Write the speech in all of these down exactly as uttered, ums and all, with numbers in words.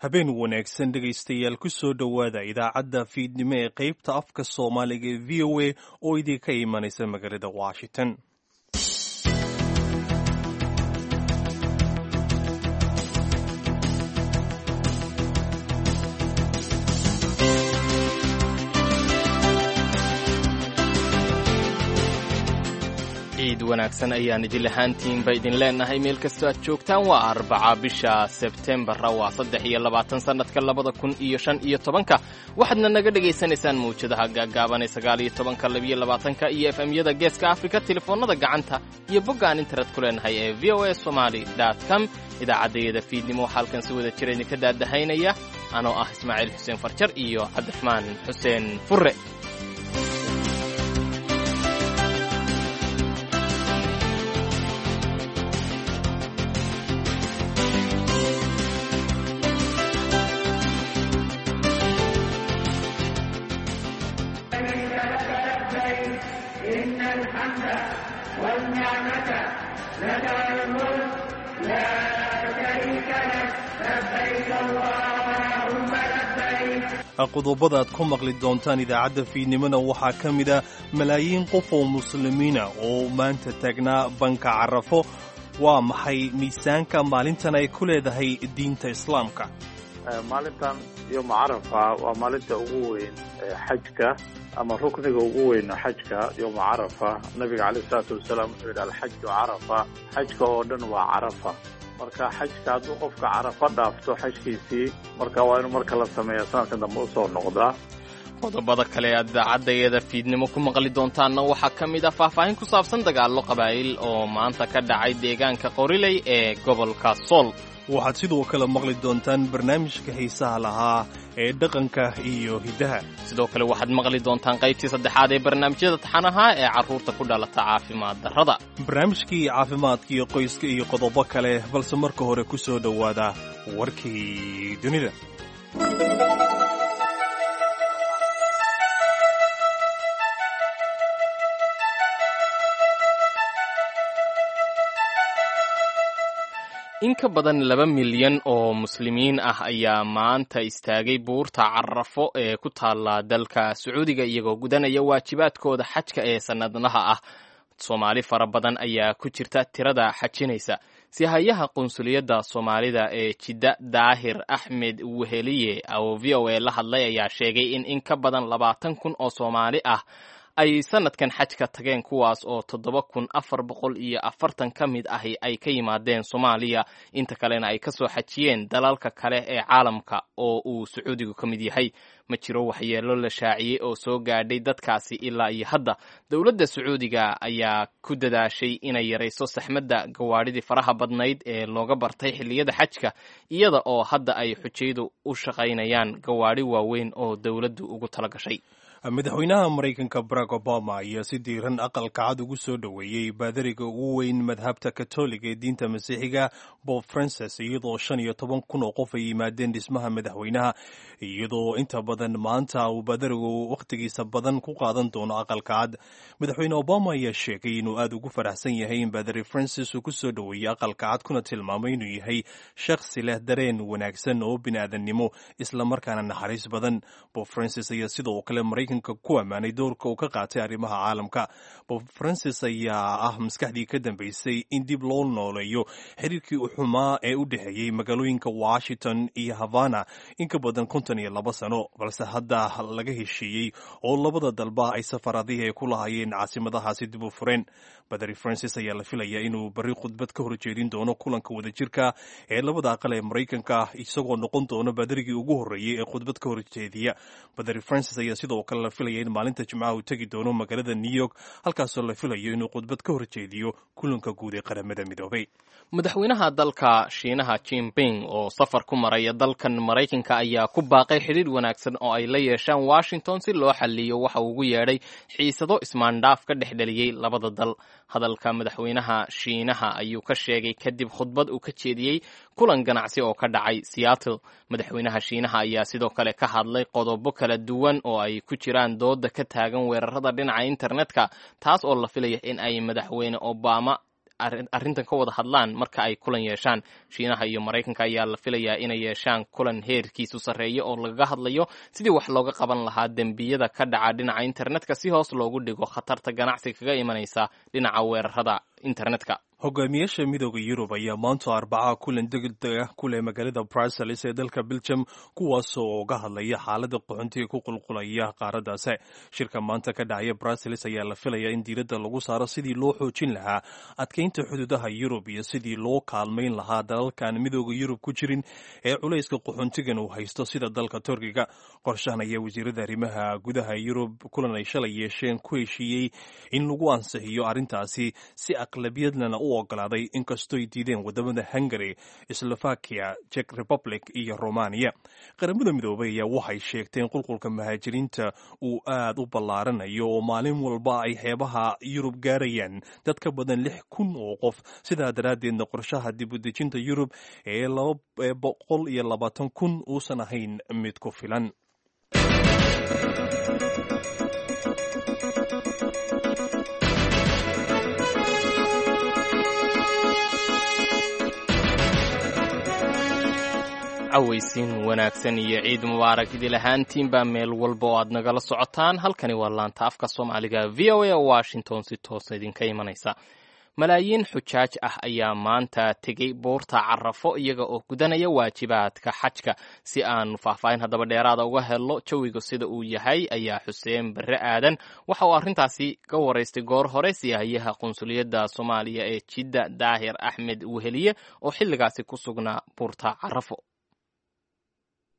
Habeen wanaagsan, dhegaystayaal. Ku soo dhowaada idaacadda fiidnimo ee qaybta afka Soomaaliga ee V O A oo idinka imanaysa magaalada Washington. Ciid wanaagsan ayaan idin lahaantiinba idin leenahay meel kastoo aad joogtaan. Waa Arbaca, bisha Sebtembarra waa saddex iyo labaatan, sannadka labada kun iyo shan iyo tobanka. Waxaadna naga dhegaysanaysaan mawjadaha gaaggaaban ee sagaal iyo tobanka, labiyo labaatanka iyo F M yada Geeska Afrika, telefoonnada gacanta iyo bogga aan internet ku leenahay ee V O A Somali com. Idaacaddayada fiidnimo waxaa halkan si wada jira idinka daadahaynaya anoo ah Ismaaciil Xuseen Farjar iyo Cabdiraxmaan Xuseen Furre. Qodobada aad ku maqli doontaan idaacadda fiidnimona waxaa ka mid a malaayiin qof oo muslimiina oo maanta taagnaa banka Carafo. Waa maxay miisaanka maalintan ay ku leedahay diinta Islaamka? Maalintan Yowma Carafa waa maalinta ugu weyn xajka ama rukniga ugu weyn xajka. Yowma Carafa, nabiga caleyh isalaatu wasalaam wuxuu yidhi: "Alxaju Carafa." Xajka oo dhan waa Carafa. Marka xajka hadduu qofka Carafa dhaafto xajkiisii, marka waa inuu marka la sameeya sanadkan dambe usoo noqdaa. Qodobada kale aad idaacadayada fiidnimo ku maqli doontaanna waxaa ka mid ah faahfaahin ku saabsan dagaallo qabaa'il oo maanta ka dhacay deegaanka Qoriley ee gobolka Sool. Waxaad sidoo kale maqli doontaan barnaamijka xiisaha lahaa ee dhaqanka iyo hiddaha. Sidoo kale waxaad maqli doontaan qaybtii saddexaad ee barnaamijyada taxanaha ee carruurta ku dhalata caafimaad darrada. Barnaamijkii caafimaadka iyo qoyska iyo qodobo kale, balse marka hore ku soo dhowaada warkii dunida. In ka badan laba milyan oo muslimiin ah ayaa maanta istaagay buurta Carafo ee ku taalla dalka Sacuudiga, iyagoo gudanaya waajibaadkooda xajka ee sannadlaha ah. Soomaali fara badan ayaa ku jirta tirada xajinaysa. Sihayaha qunsuliyadda Soomaalida ee Jidda, Daahir Axmed Weheliye, oo V O A la hadlay, ayaa sheegay in in ka badan labaatan kun oo Soomaali ah ay sanadkan xajka tageen, kuwaas oo toddoba kun afar boqol iyo afartan ka mid ahi ay ka yimaadeen Soomaaliya, inta kalena ay kasoo xajiyeen dalalka kale ee caalamka oo uu Sacuudigu ka mid yahay. Ma jiro waxyeelo la shaaciyey oo soo gaadhay dadkaasi ilaa iyo hadda. Dowladda Sacuudiga ayaa ku dadaashay inay yarayso saxmadda gawaadhidii faraha badnayd ee looga bartay xilliyada xajka, iyada oo hadda ay xujaydu u shaqaynayaan gawaadhi waaweyn oo dowladdu ugu tala gashay. Madaxweynaha Maraykanka Barack Obama ayaa si diiran Aqalka Cad ugu soo dhoweeyey baadariga ugu weyn madhabta Katoliga ee diinta Masiixiga, Pope Francis, iyadoo shan iyo toban kun oo qof ay yimaadeen dhismaha madaxweynaha, iyadoo inta badan maanta uu baadarigu wakhtigiisa badan ku qaadan doono Aqalka Cad. Madaxweyne Obama ayaa sheegay inuu aad ugu faraxsan yahay in baadari Francis uu ku soo dhoweeyey Aqalka Cad, kuna tilmaamay inuu yahay shakhsi leh dareen wanaagsan oo bini'aadannimo, islamarkaana naxariis badan. Pope Francis ayaa sidoo kale Maraykan ku ammaanay doorka uu ka qaatay arrimaha caalamka. Pope Francis ayaa ah maskaxdii ka dambeysay in dib loo nooleeyo xiriirkii u xumaa ee u dhexeeyey magaalooyinka Washington iyo Havana in ka badan konton iyo laba sano, balse hadda laga heshiiyey oo labada dalba ay safaradihii ay ku lahaayeen caasimadahaasi dib u fureen. Badari Francis ayaa la filayaa inuu barri khudbad ka horjeedin doono kulanka wadajirka ee labada aqal ee Maraykanka, isagoo noqon doono badarigii ugu horreeyey ee khudbad ka horjeediya. Badari Francis ayaa sidoo kale la filaya in maalinta Jimcaha uu tegi doono magaalada New York, halkaasoo la filayo inuu khudbad ka horjeediyo kulanka guud ee Qaramada Midoobay. Madaxweynaha dalka Shiinaha Jinping oo safar ku maraya dalkan Maraykanka ayaa ku baaqay xidhiir wanaagsan oo ay la yeeshaan Washington si loo xaliyo waxa uu ugu yeedhay xiisado ismaandhaaf ka dhex dhaliyey labada dal. Hadalka madaxweynaha Shiinaha ayuu ka sheegay kadib khudbad uu ka jeediyey kulan ganacsi oo ka dhacay Seattle. Madaxweynaha Shiinaha ayaa sidoo kale ka hadlay qodobo kala duwan oo ay ku jiraan dooda ka taagan weerarada dhinaca internetka, taas oo la filaya in ay madaxweyne Obama arrintan ka wada hadlaan marka ay kulan yeeshaan. Shiinaha iyo Maraykanka ayaa la filayaa inay yeeshaan kulan heerkiisu sarreeya oo lagaga hadlayo sidii wax looga qaban lahaa dembiyada ka dhaca dhinaca internetka si hoos loogu dhigo khatarta ganacsiga kaga imanaysa dhinaca weerarada internetka. Hogaamiyaasha Midooda Yurub ayaa maanta Arbacaha kulan degdeg ah ku leh magaalada Brussels ee dalka Belgium, kuwaasoo uga hadlaya xaaladda qaxoontiga ku qulqulaya qaaraddaasi. Shirka maanta ka dhacaya Brussels ayaa la filayaa in diiradda lagu saaro sidii loo xoojin lahaa adkeynta xuduudaha Yurub iyo sidii loo kaalmayn lahaa dalalkan Midooda Yurub ku jirin ee culayska qaxoontigan uu haysto, sida dalka Turkiga. Qorshahan ayaa wasiirada arrimaha gudaha Yurub kulan ay shalay yeesheen ku heshiiyey in lagu ansixiyo arrintaasi si aqlabiyadlana u ogolaaday, inkastoy diideen wadamada Hungary, Slovakia, Czech Republic iyo Romania. Qaramada Midoobay ayaa waxay sheegteen qulqulka muhaajiriinta uu aad u ballaaranayo oo maalin walba ay xeebaha Yurub gaarayaan dad ka badan lix kun oo qof, sidaa daraaddeedna qorshaha dib u dejinta Yurub ee laba boqol iyo labaatan kun uusan ahayn mid ku filan. Cawaysiin wanaagsan iyo ciid mubaarak idil ahaantiinbaa meel walba oo aad nagala socotaan. Halkani waa laanta afka Soomaaliga V O A Washington, si toosa idinka imanaysa. Malaayiin xujaaj ah ayaa maanta tegey buurta Carafo iyaga oo gudanaya waajibaadka xajka. Si aanu faahfaahin haddaba dheeraada uga helno jawiga sida uu yahay, ayaa Xuseen Barre Aadan waxa uu arrintaasi ka waraystay goor hore siyaahayaha qunsuliyadda Soomaaliya ee Jidda, Daahir Axmed Weheliye, oo xilligaasi ku sugnaa buurta Carafo.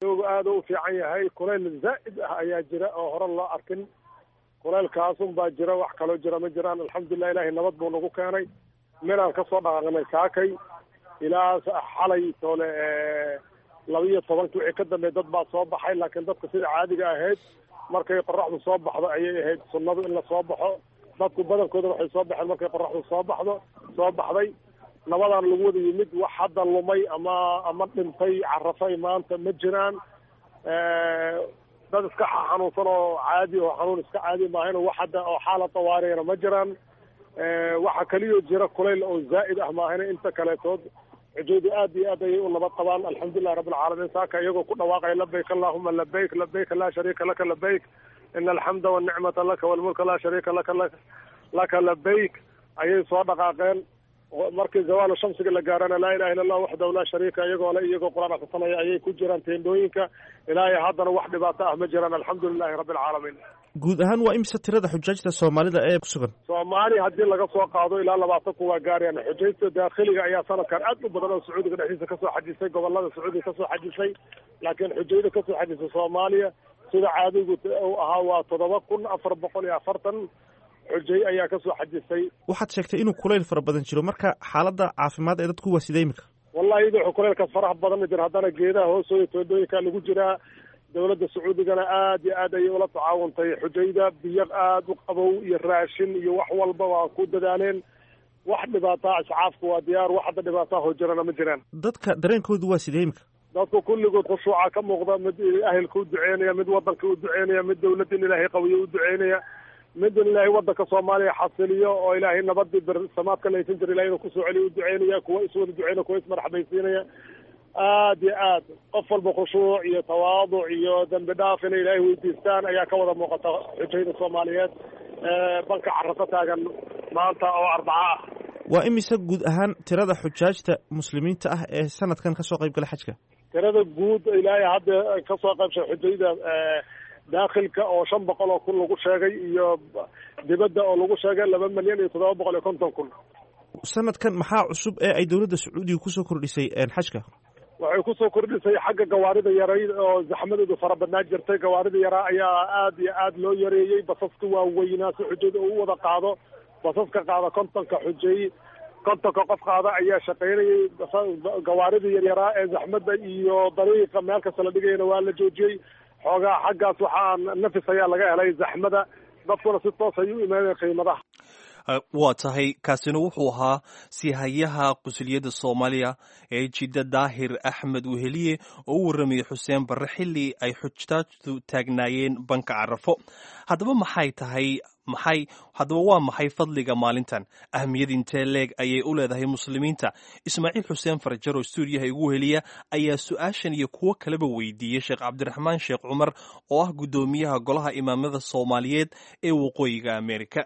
Jawigu aada u fiican yahay. Kulayl zaa'id ah ayaa jira oo hore loo arkin. Kulaylkaasun baa jira, wax kaloo jira ma jiraan. Alxamdulilah, ilaahay nabad buu nagu keenay. Meelaan kasoo dhaqaaqnay saakay ilaa xalay toole laba iyo tobankii wixii ka dambeey dad baa soo baxay, laakiin dadka sida caadiga ahayd markay qoraxdu soo baxdo ayay ahayd sunnadu in la soo baxo. Dadku badankooda waxay soo baxeen markay qoraxdu soo baxdo soo baxday. Nabadaan lagu wada yimid. Wax hadda lumay ama ama dhintay Carafay maanta ma jiraan. Dad iska xanuunsan oo caadi oo xanuun iska caadi maahayn, wax hadda oo xaalad tawaariyana ma jiraan. Waxa kaliyo jira kulayl oo zaa'id ah maahayna, inta kaleetood xujaydu aad iyo aad ayay u nabad qabaan, alxamdulilahi rabbilcaalamiin. Saaka iyagoo ku dhawaaqaya "Labayk allahuma labayk, labayk laa shariika laka labayk, ina alxamda walnicmata laka walmulka laa shariika laka laka labayk" ayay soo dhaqaaqeen. Markii zawaalu shamsiga la gaarana "Laa ilaha illa Allah waxdahu laa shariika" iyagoo le, iyagoo Qur-aan akrisanaya ayay ku jiraan teendhooyinka. Ilaahay haddana wax dhibaato ah ma jiraan, alxamdulilahi rabbi alcaalamiin. Guud ahaan waa imise tirada xujaajta Soomaalida ee ku sugan? Soomaali haddii laga soo qaado ilaa labaatan kun waa gaarayaan. Xujaysta daakhiliga ayaa sanadkan aad u badan oo Sacuudiga dhexdiisa kasoo xajisay, gobolada Sacuudiga kasoo xajisay, laakiin xujayda kasoo xajisay Soomaaliya sida caadigu uu ahaa waa toddoba kun afar boqol iyo afartan xujay ayaa kasoo xajisay. Waxaad sheegtay inuu kulayl fara badan jiro, marka xaaladda caafimaad ee dadku waa sidee imika? Wallahi iyadoo kulaylkaas faraha badan ma jiro, haddana geedaha hoostooda teendhooyinka lagu jiraa. Dowladda Sacuudigana aad iyo aad ayay ula tacaawuntay xujayda, biyo aad u qabow iyo raashin iyo wax walba waa ku dadaaleen. Wax dhibaataa, iscaafku waa diyaar, wax hadda dhibaataa hoo jirana ma jiraan. Dadka dareenkoodu waa sidee imika? Dadku kulligood khushuuca ka muuqda. Mid ahelka u duceynaya, mid wadanka u duceynaya, mid dowladda in Ilaahay qawiyo u duceynaya, mid in Ilaahay wadanka Soomaaliya xasiliyo oo Ilaahay nabadii bersamaadka laysan jira Ilahay inuu kusoo celiyo u duceynaya, kuwa iswada duceynaya, kuwa ismarxabaysiinaya. Aad iyo aad qof walba khushuuc iyo tawaaduc iyo dembi dhaaf inay Ilaahay weydiistaan ayaa ka wada muuqata xujayda Soomaaliyeed banka Carafo taagan maanta oo Arbaca ah. Waa imise guud ahaan tirada xujaajta muslimiinta ah ee sanadkan kasoo qayb gala xajka? Tirada guud ilaahay hadda kasoo qaybshay xujayda daakhilka oo shan boqol oo kun lagu sheegay iyo dibadda oo lagu sheegay laba milyan iyo toddoba boqol iyo konton kun. Sanadkan maxaa cusub ee ay dowladda Sacuudiga kusoo kordhisay xajka? Waxay kusoo kordhisay xagga gawaarida yaray oo zaxmadoodu fara badnaa jirtay. Gawaarida yaraa ayaa aad iyo aad loo yareeyey. Basaska waaweynaa si xujayda uu wada qaado, basaska qaada kontonka xujay, kontonka qof qaada ayaa shaqaynayay. Gawaarida yaryaraa ee zaxmadda iyo dariiqa meel kasta la dhigayana waa la joojiyey. Xoogaa xaggaas waxaa nafis ayaa laga helay zaxmada, dadkuna si toos ay u imaaneen qiimadaha. Waa tahay, kaasina wuxuu ahaa sihayaha qusuliyadda Soomaaliya ee Jidda, Daahir Axmed Weheliye, oo u warramayay Xuseen Barre xilli ay xujtaajtu taagnaayeen banka Carafo. Haddaba maxay tahay Maxay haddaba, waa maxay fadliga maalintan? Ahmiyad intee leeg ayay u leedahay muslimiinta? Ismaaciil Xuseen Farjar oo stuudiyaha igu heliya ayaa su-aashan iyo kuwo kaleba weydiiyey Sheekh Cabdiraxmaan Sheekh Cumar oo ah guddoomiyaha golaha imaamada Soomaaliyeed ee Waqooyiga Amerika.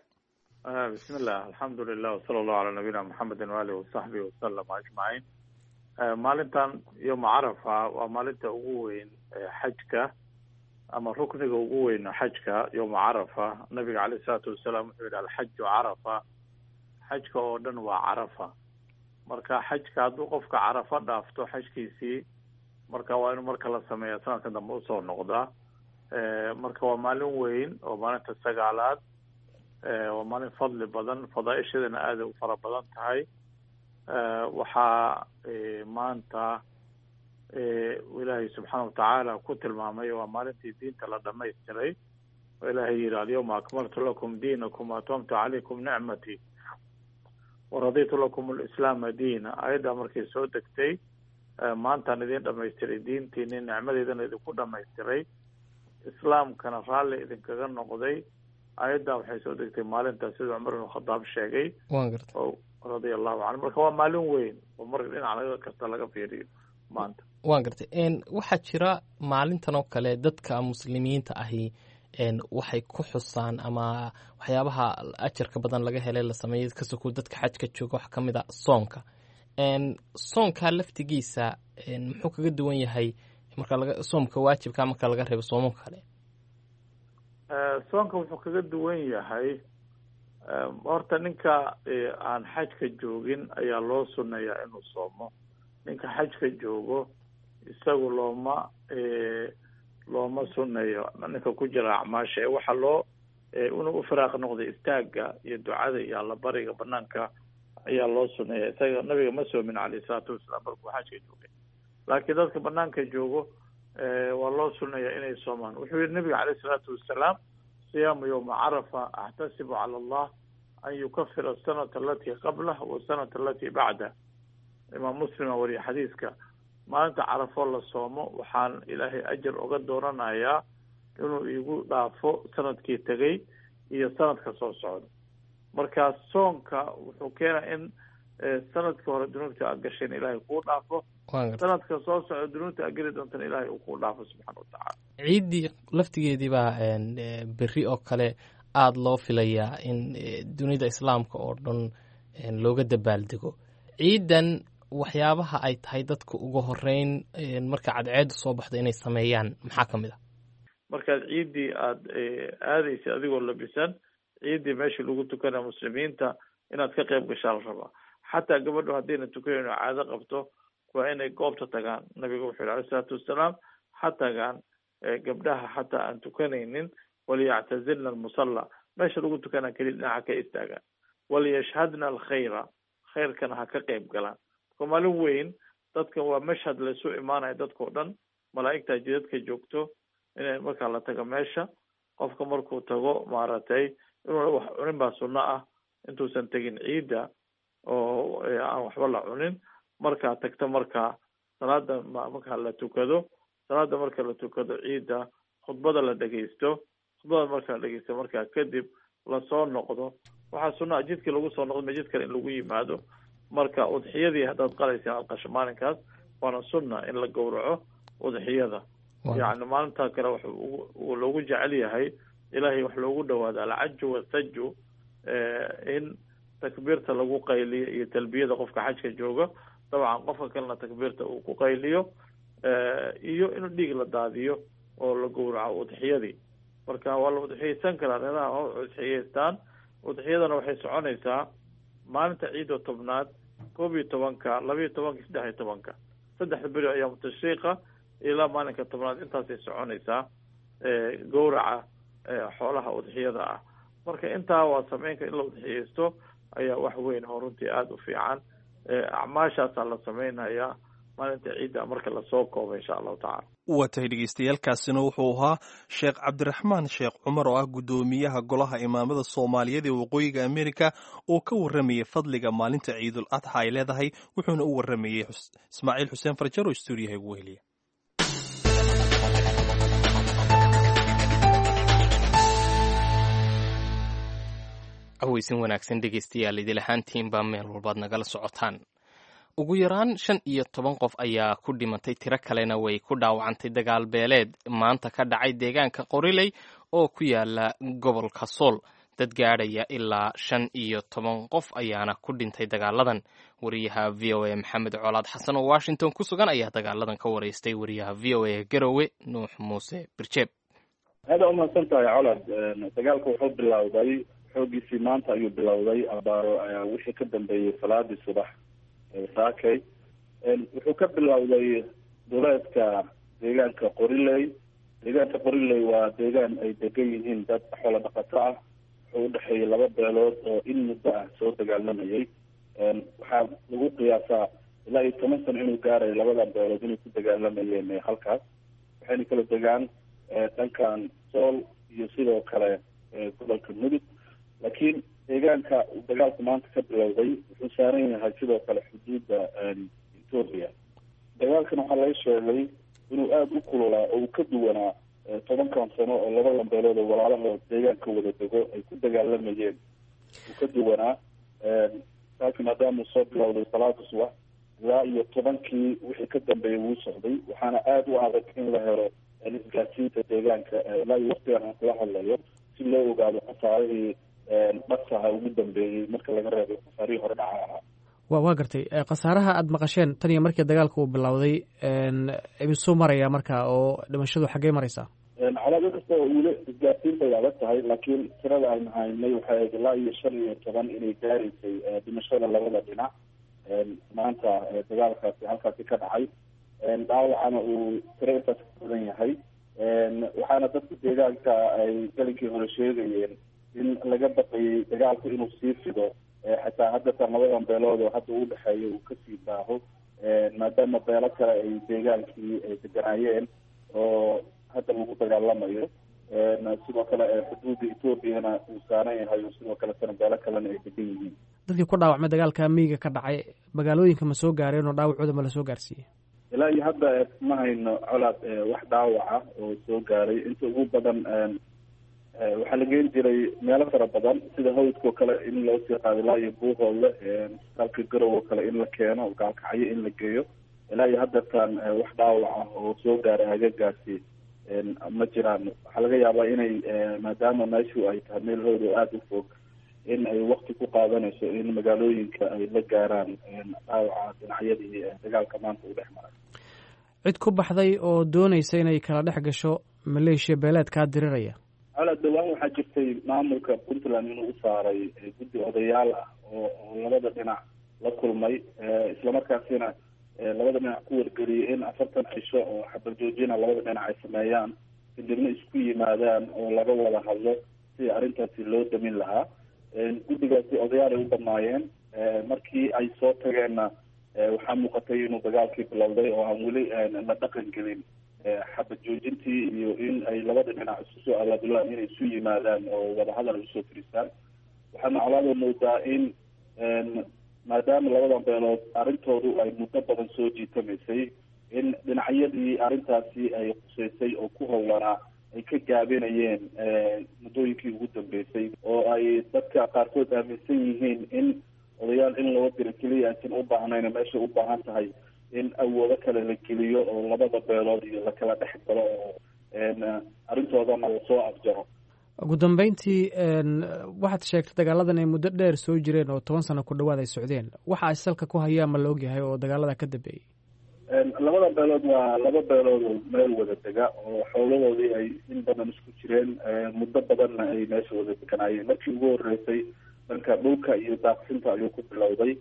Bismillah, alxamdulilah, wsala allahu calaa nabiyina Muxamedin waalihi wasaxbihi wasalam ajmaciin. Maalintan yowma Carafa waa maalinta ugu weyn xajka ama rukniga ugu weyn xajka, yowma Carafa. Nabiga caleyh isalaatu wasalaam wuxuu yidhi: "Alxaju Carafa." Xajka oo dhan waa Carafa. Marka xajka hadduu qofka Carafa dhaafto xajkiisii, marka waa inuu marka la sameeya sanadka dambe usoo noqdaa. Marka waa maalin weyn oo maalinta sagaalaad, waa maalin fadli badan, fadaaisheedana aaday u fara badan tahay. Waxaa maanta Ilaahay subxaana watacaala ku tilmaamay waa maalintii diinta la dhamaystiray, oo Ilaahay yihi: "Alyawma akmaltu lakum diinakum waatmamtu calaykum nicmatii waraditu lakum alislaama diina." Ayaddaa markay soo degtay, maantaan idin dhamaystiray diintiini, nicmadeydana idinku dhamaystiray, islaamkana raalli idinkaga noqday. Ayaddaa waxay soo degtay maalintaas, sida Cumar ibn Khadaab sheegay oo radia allahu canhu. Marka waa maalin weyn oo marka dhinac laga kasta laga fiiriyo maanta. Waan gartay. Waxaa jira maalintan oo kale dadka muslimiinta ahi waxay ku xusaan ama waxyaabaha ajarka badan laga helay la sameeyay kasoko dadka xajka jooga waxaa ka mid a soonka. Soonka laftigiisa muxuu kaga duwan yahay marka laga soomka waajibka marka laga reebo soomamka kale? Soonka wuxuu kaga duwan yahay, horta ninka aan xajka joogin ayaa loo suneeyaa inuu soomo. Ninka xajka joogo isagu looma looma suneeyo. Ninka ku jira acmaasha ee waxaa loo inuu u firaaq noqday istaagga iyo ducada iyo allabariga banaanka ayaa loo suneeya. Isaga nabiga ma soomin caleyhi salaatu wasalaam markuu xajka joogay, laakiin dadka banaanka joogo waa loo suneeya inay soomaan. Wuxuu yihi nabiga caleyhi salaatu wasalaam: "Siyaamu yowma Carafa axtasibu cala Allah an yukafira asanata alatii qablah wasanata alatii bacdah." Imaam Muslima wariye xadiiska. Maalinta Carafo la soomo waxaan Ilaahay ajar oga dooranayaa inuu iigu dhaafo sanadkii tegay iyo sanadka soo socda. Marka soonka wuxuu keenaa in sanadkii hore dunuubta aad gasheen Ilaahay kuu dhaafo, sanadka soo socda dunuubta aad geli doontana Ilaahay uu kuu dhaafo subxaana watacaala. Ciiddii laftigeedii baa berri oo kale aada loo filayaa in dunida islaamka oo dhan looga dabaaldego ciidan. Waxyaabaha ay tahay dadka ugu horeyn marka cadceedu soo baxdo inay sameeyaan maxaa ka mid a? Markaad ciiddii aada aadaysa adigoo labisan, ciiddii meeshii lagu tukanaya muslimiinta inaad ka qayb gashaa la rabaa. Xataa gabadhu haddayna tukanayno caado qabto, waa inay goobta tagaan. Nabiga wuxuu yihi alay isalaatu wasalaam: ha tagaan gabdhaha xataa aan tukanaynin, waliyactazilna almusalla, meesha lagu tukanaa keliya dhinaca ka istaagaan, waliyashhadna alkhayra, khayrkana ha ka qayb galaan. Marka maalin weyn dadka waa mashhad laysu imaanaya dadkao dhan, malaa'igtaa jidadka joogto. Inay markaa la tago meesha, qofka markuu tago maaragtay inuu wax cunin baa sunno ah intuusan tegin ciidda, oo aan waxba la cunin. Markaa tagto, markaa salaada markaa la tukado, salaada marka la tukado ciidda, khudbada la dhegeysto. Khudbada marka la dhegeysto, markaa kadib lasoo noqdo. Waxaa sunna jidkii lagu soo noqdo jid kale in lagu yimaado. Marka udxiyadii haddaad qalaysa inaad qasho maalinkaas, waana sunna in la gowraco udxiyada. Yacni maalintaa kale wax loogu jecel yahay Ilaahay wax loogu dhawaado, alcaju wasaju, in takbiirta lagu qayliyo iyo talbiyada qofka xajka jooga, dabcan qofka kalena takbiirta uu ku qayliyo, iyo inuu dhiig la daadiyo oo la gowraco udxiyadii. Marka waa la udxiyeysan karaa, reeraha waa udxiyeystaan. Udxiyadana waxay soconaysaa maalinta ciidda tobnaad, koob iyo tobanka, labiyo tobanka, saddex iyo tobanka, saddexda beri ayaamu tashriiqa ilaa maalinka tobnaad intaasay soconaysaa gowraca xoolaha udxiyada ah. Marka intaa waa sameynka in la udxiyeysto ayaa wax weyn oo runtii aada u fiican. Acmaashaasaa la sameynayaa maalinta ciidda marka lasoo koobo, insha allahu tacala. Waa tahay dhegeystayaaalkaasina wuxuu ahaa Sheekh Cabdiraxmaan Sheekh Cumar oo ah guddoomiyaha golaha imaamada Soomaaliyeed ee Waqooyiga Amerika oo ka warramayay fadliga maalinta Ciidul Adxa ay leedahay, wuxuuna u warramayey Ismaaciil Xuseen Farjar oo stuudiyaha ugu heliya. Caweysin wanaagsan dhegeystayaal, idil ahaantiinbaa meel walbaad nagala socotaan. Ugu yaraan shan iyo toban qof ayaa ku dhimatay, tiro kalena way ku dhaawacantay dagaal beeleed maanta ka dhacay deegaanka Qoriley oo ku yaala gobolka Sool. Dad gaadhaya ilaa shan iyo toban qof ayaana ku dhintay dagaaladan. Wariyaha V O A Maxamed Colaad Xasan oo Washington ku sugan ayaa dagaaladan ka wareystay wariyaha V O A Garowe Nuux Muuse Birjeeb. Aada umahadsan tahay Colaad. Dagaalka wuxuu bilowday xoogiisii maanta ayuu bilowday abaaro wixii ka dambeeyey salaadii subax saakay. Wuxuu ka bilowday duleedka deegaanka Qoriley. Deegaanka Qoriley waa deegaan ay degan yihiin dad xoolo dhaqato ah. Wuxuu udhexeeyey laba beelood oo in muddo ah soo dagaalamayay. Waxaa lagu qiyaasaa ilaa iyo toban sano inuu gaarayo labadan beelood inay ku dagaalamayeen halkaas. Waxayna kala degaan dhankan Sool iyo sidoo kale gobolka Mudug, laakiin deegaanka uu dagaalku maanta ka bilowday wuxuu saaran yahay sidoo kale xuduudda Etoobiya. Dagaalkan waxaa laga sheegay inuu aada u kululaa oo uu ka duwanaa tobankan sano oo labadan beelood oo walaalahood deegaanka wada dego ay ku dagaalamayeen. Uu ka duwanaa saaki maadaama uu soo bilowday salaada subax ilaa iyo tobankii wixii ka dambeeyay wuu socday. Waxaana aada u adag in la helo isgaarsiinta deegaanka ilaa iyo waqtigan aan kula hadlayo si loo ogaado khasaarihii dhaqsaha ugu dambeeyey marka laga reebo khasaarihii hore dhaca ahaa. Wa waa gartay. Khasaaraha aada maqasheen tan iyo markii dagaalka uu bilowday imisuu maraya marka, oo dhimashadu xaggey maraysaa? Colaado kasta oo weli isgaarsiinta ay adag tahay, laakiin tirada aynu haynay waxay ahayd ilaa iyo shan iyo toban inay gaaraysay dhimashada labada dhinac maanta dagaalkaasi halkaasi ka dhacay. Dhaawacana uu tiro intaas ka badan yahay. Waxaana dadka deegaanka ay galinkii hore sheegayeen in laga baqayay dagaalku inuu sii fido, xataa haddatan labadan beelood oo hadda uu dhexeeyo uu kasii baaho, maadaama beelo kale ay deegaankii ay deganaayeen oo hadda lagu dagaalamayo. Sidoo kale xuduudda Etoobiyana uu saaran yahay oo sidoo kaletana beelo kalena ay degan yihiin. Dadkii ku dhaawacmay dagaalka miyiga ka dhacay magaalooyinka ma soo gaareen oo dhaawacooda ma lasoo gaarsiiyey? Ilaa iyo hadda ma hayno Colaad wax dhaawaca oo soo gaaray. Inta ugu badan waxaa la geen jiray meelo fara badan sida hawdka oo kale in loo sii qaado ilaa iyo Buuhoodle, isbitaalka Garow oo kale in la keeno, Gaalkacyo in la geeyo. Ilaa iyo haddeertaan wax dhaawaca oo soo gaaray hagagaasi ma jiraan. Waxaa laga yaabaa inay maadaama meeshu ay tahay meel hawd oo aada u fog in ay wakti ku qaadanayso in magaalooyinka ay la gaaraan dhaawaca dhinacyadii dagaalka maanta u dhex maray. Cid ku baxday oo doonaysa inay kala dhex gasho maleeshiya beeleedkaa diriraya? Colaad, dhawaan waxaa jirtay maamulka Puntland inuu u saaray guddi odayaal ah oo oo labada dhinac la kulmay, islamarkaasina labada dhinac ku wargeliyay in afartan cisho oo xabad joojina labada dhinac ay sameeyaan, kadibna isku yimaadaan oo laga wada hadlo sidii arrintaasi loo damin lahaa. Guddigaasi odayaal ay u dhamaayeen. Markii ay soo tageenna waxaa muuqatay inuu dagaalkii bilowday oo aan weli la dhaqan gelin xabad joojintii iyo in ay labada dhinac isu soo abaabulaan inay isu yimaadaan oo wadahadal ay usoo fadhiistaan. Waxaana colaada moodaa in maadaama labadan beelood arrintoodu ay muddo badan soo jiitamaysay, in dhinacyadii arrintaasi ay quseysay oo ku howlanaa ay ka gaabinayeen muddooyinkii ugu dambeysay, oo ay dadka qaarkood aaminsan yihiin in odayaal in loo diro keliya aysan u baahnayn, meesha u baahan tahay in awoodo kale la geliyo oo labada beelood iyo lakala dhex galo oo arrintoodana lasoo afjaro. Ugu dambeyntii, waxaad sheegtay dagaaladan ay muddo dheer soo jireen oo toban sano ku dhawaad ay socdeen. Waxa ay salka ku hayaan ma la ogyahay oo dagaalada ka dambeeyey? Labada beelood waa laba beelood oo meel wada dega oo xoolahoodii ay in badan isku jireen, muddo badanna ay meesha wada deganaayeen. Markii ugu horeysay dhanka dhulka iyo daaqsinta ayuu ku bilowday,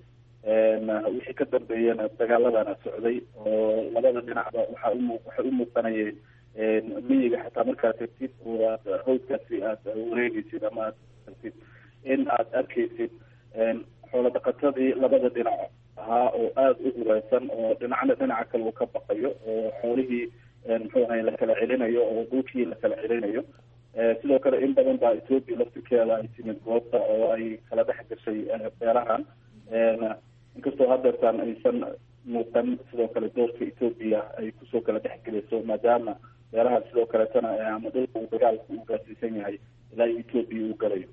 wixii ka dambeeyana dagaaladana socday oo labada dhinacba waxaa umu waxay u muuqanayeen miyiga xataa markaad tagtid oo aad hawdkaasi aad wareegeysid ama aad tagtid in aad arkeysid xoolo dhaqatadii labada dhinac ahaa oo aada u hureysan oo dhinacna dhinaca kale uu ka baqayo oo xoolihii muxuu ahay lakala celinayo oo dhulkii lakala celinayo. Sidoo kale in badan baa Etoobiya laftirkeeda ay timid goobta oo ay kala dhex gashay beelahan, inkastoo haddeertaan aysan muuqan sidoo kale doorka Etoobiya ay kusoo kala dhex gelayso, maadaama beelahan sidoo kaleetana ama dhulka uu dagaalku uu gaarsiisan yahay ilaa Etoobiya uu galayo.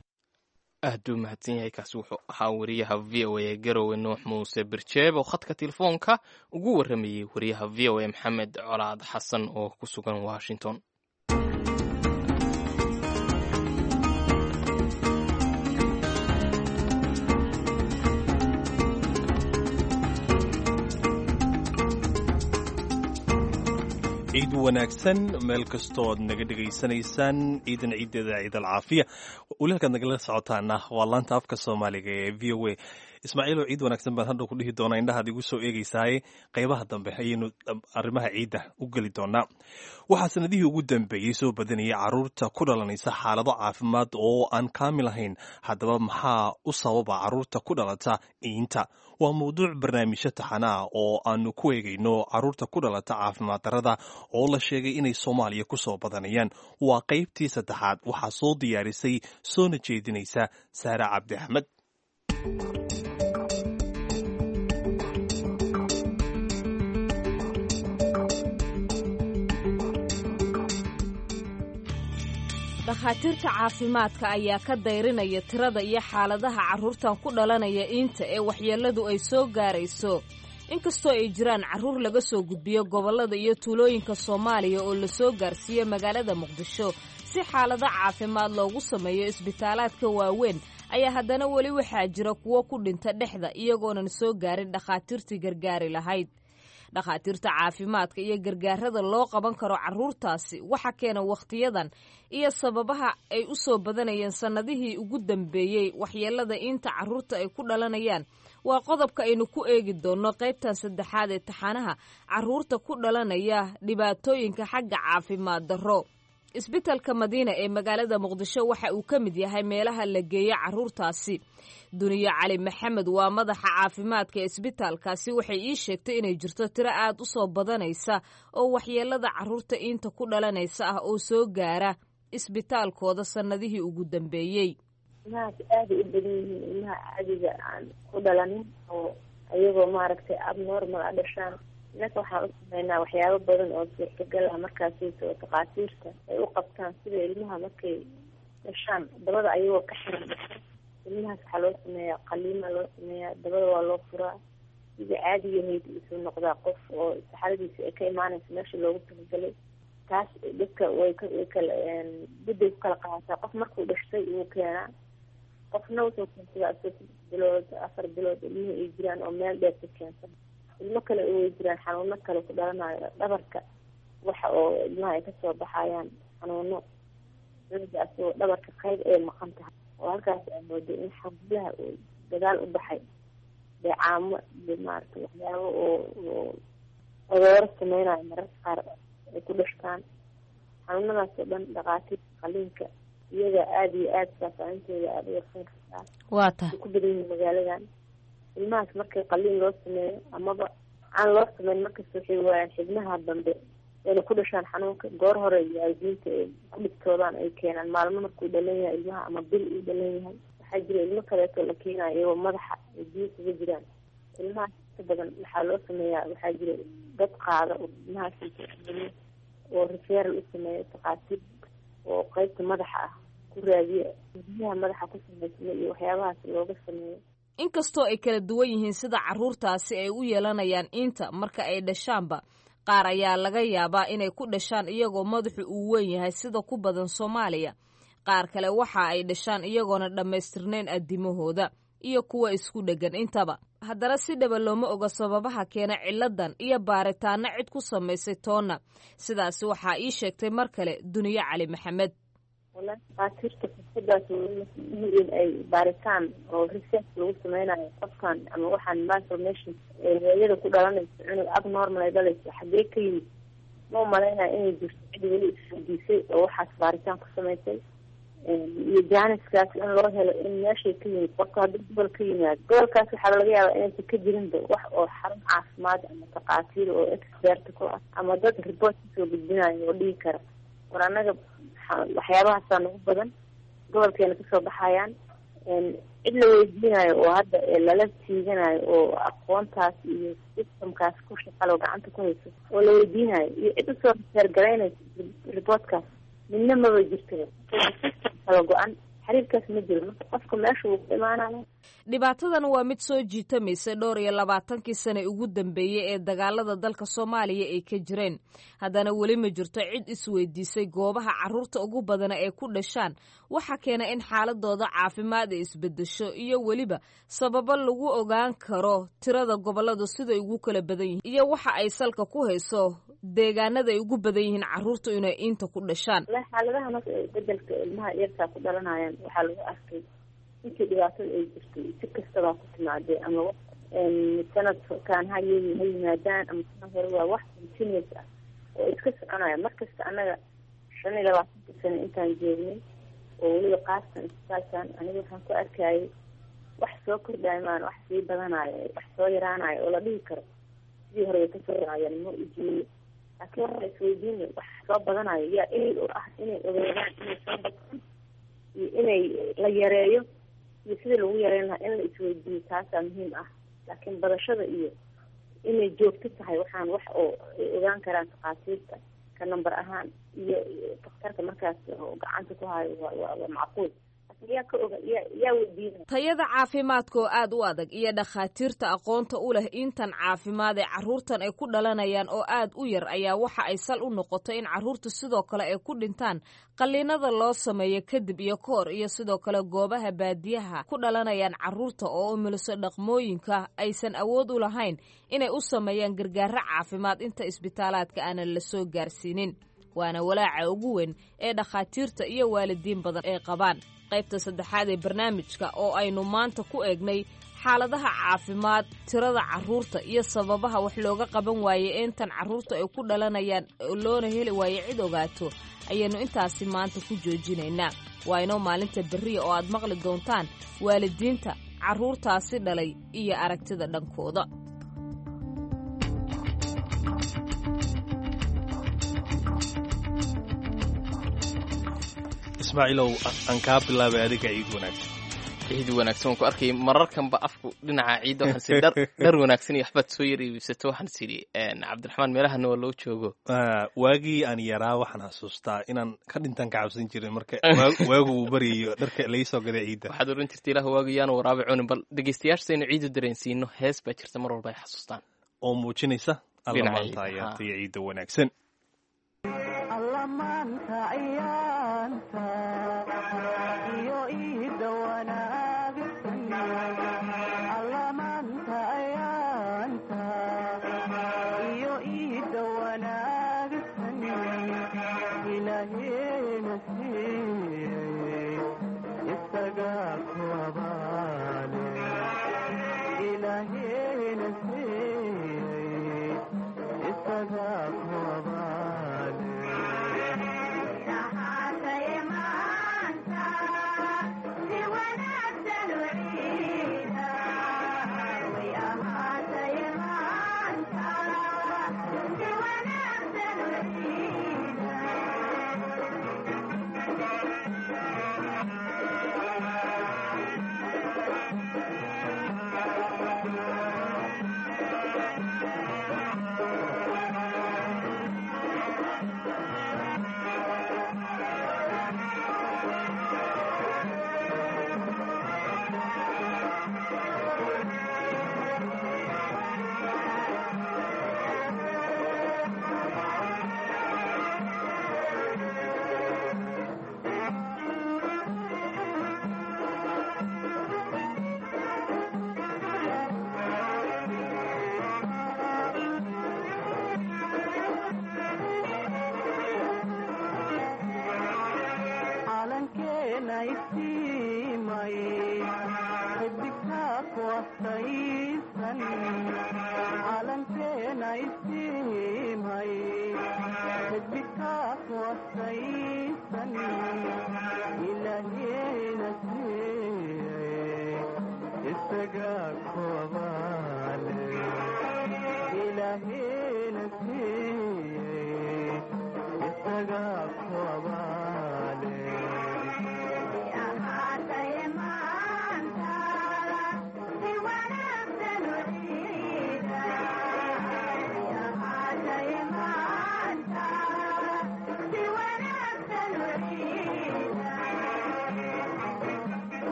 Aad buu mahadsan yahay. Kaasi wuxuu ahaa wariyaha V O A Garowe, Nuux Muuse Birjeeb, oo khadka telefoonka ugu warramayey wariyaha V O A Maxamed Colaad Xasan oo ku sugan Washington. Ciid wanaagsan meel kastood naga dhegaysanaysaan. Ciidan ciideeda ciid alcaafiya. Weli halkaad nagala socotaana waa laanta afka Soomaaliga ee V O A. Ismaaciilow, ciid wanaagsan baan hadhow ku dhihi doonaa, indhahaad igu soo eegeysaaye. Qaybaha dambe ayaynu arrimaha ciidda u geli doonaa. Waxaa sanadihii ugu dambeeyey soo badanayay carruurta ku dhalanaysa xaalado caafimaad oo aan kaamil ahayn. Haddaba maxaa u sababa carruurta ku dhalata iinta? Waa mawduuc barnaamijyo taxana ah oo aanu ku eegayno carruurta ku dhalata caafimaad darrada oo la sheegay inay Soomaaliya ku soo badanayaan. Waa qaybtii saddexaad. Waxaa soo diyaarisay soona jeedinaysa Saare Cabdi Axmed. Dhakhaatiirta caafimaadka ayaa ka dayrinaya tirada iyo xaaladaha carruurtan ku dhalanaya iinta ee waxyeelladu ay soo gaarayso. Inkastoo ay jiraan carruur laga soo gudbiyo gobollada iyo tuulooyinka Soomaaliya oo la soo gaarsiiyo magaalada Muqdisho si xaalado caafimaad loogu sameeyo isbitaalaadka waaweyn, ayaa haddana weli waxaa jira kuwo ku dhinta dhexda iyagoonan soo gaarin dhakhaatiirtii gargaari lahayd. Dhakhaatiirta caafimaadka iyo gargaarada loo qaban karo carruurtaasi waxa keena wakhtiyadan iyo sababaha ay u soo badanayeen sannadihii ugu dambeeyey waxyeellada inta carruurta ay ku dhalanayaan waa qodobka aynu ku eegi doonno qaybtan saddexaad ee taxanaha carruurta ku dhalanaya dhibaatooyinka xagga caafimaad darro. Isbitalka Madiina ee magaalada Muqdisho waxa uu ka mid yahay meelaha la geeyo carruurtaasi. Duniyo Cali Maxamed waa madaxa caafimaadka ee isbitaalkaasi. Waxay ii sheegtay inay jirto tiro aad u soo badanaysa oo waxyeelada carruurta inta ku dhalanaysa ah oo soo gaara isbitaalkooda sannadihii ugu dambeeyey. Ilmahaas aaday u badan yihiin, ilmaha caadiga aan ku dhalanin oo ayagoo maaragtay abnormal a dhashaan. Innaka waxaan u sameynaa waxyaabo badan oo suurtagal ah markaasaysa oo takhaatiirta ay u qabtaan, sida ilmaha markay dhashaan dabada ayagoo ka xiran dhasho, ilmahaas waxaa loo sameeyaa qaliima loo sameeyaa, dabada waa loo furaa, sidii caadigahayd isuu noqdaa qof oo saxaradiisa ay ka imaanaysa meesha loogu talagalay. Taas dadka way way kala gudday ku kala qaadataa. Qof markuu dhashtay wuu keenaa, qofna wuxuu keensadaa saddex bilood, afar bilood ilmihii ay jiraan oo meel dheer ka keensan. Ilmo kale way jiraan xanuuno kale ku dhalanayo dhabarka, waxa oo ilmaha ay kasoo baxayaan xanuuno cunuga asagoo dhabarka qayb ay maqan tahay oo halkaas aa mooday in xabulaha uu dagaal u baxay, deecaamo iyo maaragtay waxyaabo oo oo odooro sameynayo mararka qaar ay ku dhashtaan. Xanuunadaas oo dhan dhakhaatiirta qaliinka iyaga aada iyo aada faahfaahintooda aada u warsan kartaa. Waa tahay. Ku badan yihiin magaaladan ilmahaas markay qaliin loo sameeyo amaba aan loo sameyn, markasta waxay waayaan xibnaha dambe wayna ku dhashaan xanuunka goor hore. Waalidiinta ay ku dhibtoodaan ay keenaan maalmo markuu dhalan yahay ilmaha ama bil uu dhalan yahay. Waxaa jira ilmo kaleeto la keenayo iyagoo madaxa ay biyo kaga jiraan. Ilmahaas inta badan waxaa loo sameeyaa, waxaa jira dad qaada oo ilmahaas oo referal u sameeya takhaatiir oo qeybta madaxa ah ku raadiya, biyaha madaxa ku sameysma iyo waxyaabahaas looga sameeyo. Inkastoo ay kala duwan yihiin sida carruurtaasi ay u yeelanayaan inta marka ay dhashaanba, qaar ayaa laga yaabaa inay ku dhashaan iyagoo madaxu uu weyn yahay sida ku badan Soomaaliya. Qaar kale waxa ay dhashaan iyagoona dhammaystirnayn addimahooda iyo kuwa isku dheggan intaba. Haddana si dhaba looma oga sababaha keena ciladan iyo baaritaanno cid ku samaysay toonna. Sidaasi waxaa ii sheegtay mar kale Duniyo Cali Maxamed. Walahi dhakhaatiirta fursadaas in ay baaritaan oo research lagu sameynayo qofkan ama waxaan malformation hooyada ku dhalanayso, cunug abnormal ay dhalayso xagee ka yimid, ma umalaynaya inay jirto cid weli isweydiisay oo waxaas baaritaan ku samaysay iyo jaaniskaas in loo helo in meeshay ka yimid. Qofka haddii gobol ka yimaado, gobolkaas waxaa laga yaabaa inaysan ka jirinba wax oo xarun caafimaad ama takhaatiir oo expert ku ah ama dad report kasoo gudbinayo oo dhihi kara war annaga waxyaabahaasaa nagu badan gobolkeena kasoo baxayaan. Cid la weydiinayo oo hadda lala tiiganayo oo aqoontaas iyo systemkaas ku shaqalo gacanta ku hayso oo la weydiinayo iyo cid usoo reseergaraynayso reportkaas midna maba jirtaba. System kala go-an. Xiriirkaas ma jiro, marka qofka meesha wuu ku imaanaya. Dhibaatadan waa mid soo jiitamaysa dhowr iyo labaatankii sane ugu dambeeyey ee dagaalada dalka Soomaaliya ay ka jireen. Haddana weli ma jirto cid isweydiisay goobaha carruurta ugu badana ee ku dhashaan waxa keena in xaaladooda caafimaad ay isbedesho, iyo weliba sababo lagu ogaan karo tirada gobolladu siday ugu kala badan yihiin iyo waxa ay salka ku hayso deegaanada ay ugu badan yihiin carruurtu inay inta ku dhashaan. Wallahi xaaladaha marka bedelka ilmaha yartaa ku dhalanayaan waxaa lagu arkay intii dhibaatada ay jirtay si kastabaa ku timaadee, ama sanadkan ha ha yimaadaan ama sanad hore, waa wax continuous ah oo iska soconaya markasta. Annaga shan iyo labaatanka sano intaan joognay oo weliba qaastan isbitaalkan, aniga waxaan ku arkayay wax soo kordhayo maan, wax sii badanayo, wax soo yaraanayo oo la dhihi karo sidii hore way kasoo yaraayeen ma ujeeyo. Laakiin waxaa isweydiinay wax soo badanayo yaa ehel u ah inay ogaadaan inay soo bataan iyo inay la yareeyo iyo sidii lagu yareyn lahaa in la isweydiiyo, taasaa muhiim ah. Laakiin badashada iyo inay joogto tahay waxaan wax oo ay ogaan karaan takhaatiirta ka number ahaan iyo daktarka markaas oo gacanta ku hayo waa waa waa macquul. Laakiin yaa ka oga, yaa yaa weydiinaya? Tayada caafimaadka oo aad u adag iyo dhakhaatiirta aqoonta u leh intan caafimaad ee carruurtan ay ku dhalanayaan oo aad u yar ayaa waxa ay sal u noqotay in carruurtu sidoo kale ay ku dhintaan qalliinada loo sameeyo kadib iyo ka hor, iyo sidoo kale goobaha baadiyaha ku dhalanayaan carruurta oo umuliso dhaqmooyinka aysan awood u lahayn inay u sameeyaan gargaaro caafimaad inta isbitaalaadka aanan la soo gaarsiinin. Waana walaaca ugu weyn ee dhakhaatiirta iyo waalidiin badan ay qabaan. Qaybta saddexaad ee barnaamijka oo aynu maanta ku eegnay xaaladaha caafimaad, tirada carruurta iyo sababaha wax looga qaban waaye intan carruurta ay ku dhalanayaan loona heli waaye cid ogaato, ayaynu intaasi maanta ku joojinaynaa. Waa inoo maalinta berriya oo aad maqli doontaan waalidiinta carruurtaasi dhalay iyo aragtida dhankooda. Ismaaciilow, aan kaa bilaabay adiga, ciid wanaagsan. Ciid wanaagsan. Waan ku arkay mararkanba afku dhinaca ciidda, waxaan sii dhar dhar wanaagsan iyo waxbaad soo yar iibsato. Waxaan sidhi Cabdiraxmaan meelahana waa loo joogo. Waagii aan yaraa waxaan xasuustaa inaan ka dhintaan ka cabsan jiray marka waagu uu baryayo dharka laysoo gaday ciidda. Waxaad oran jirtay ilaah waagu yaanu waraabe cunin. Bal dhegeystayaasha saynu ciidu dareensiino, hees baa jirta mar walba ay xasuustaan oo muujinaysa alla maanta ayaartay ciidda wanaagsan.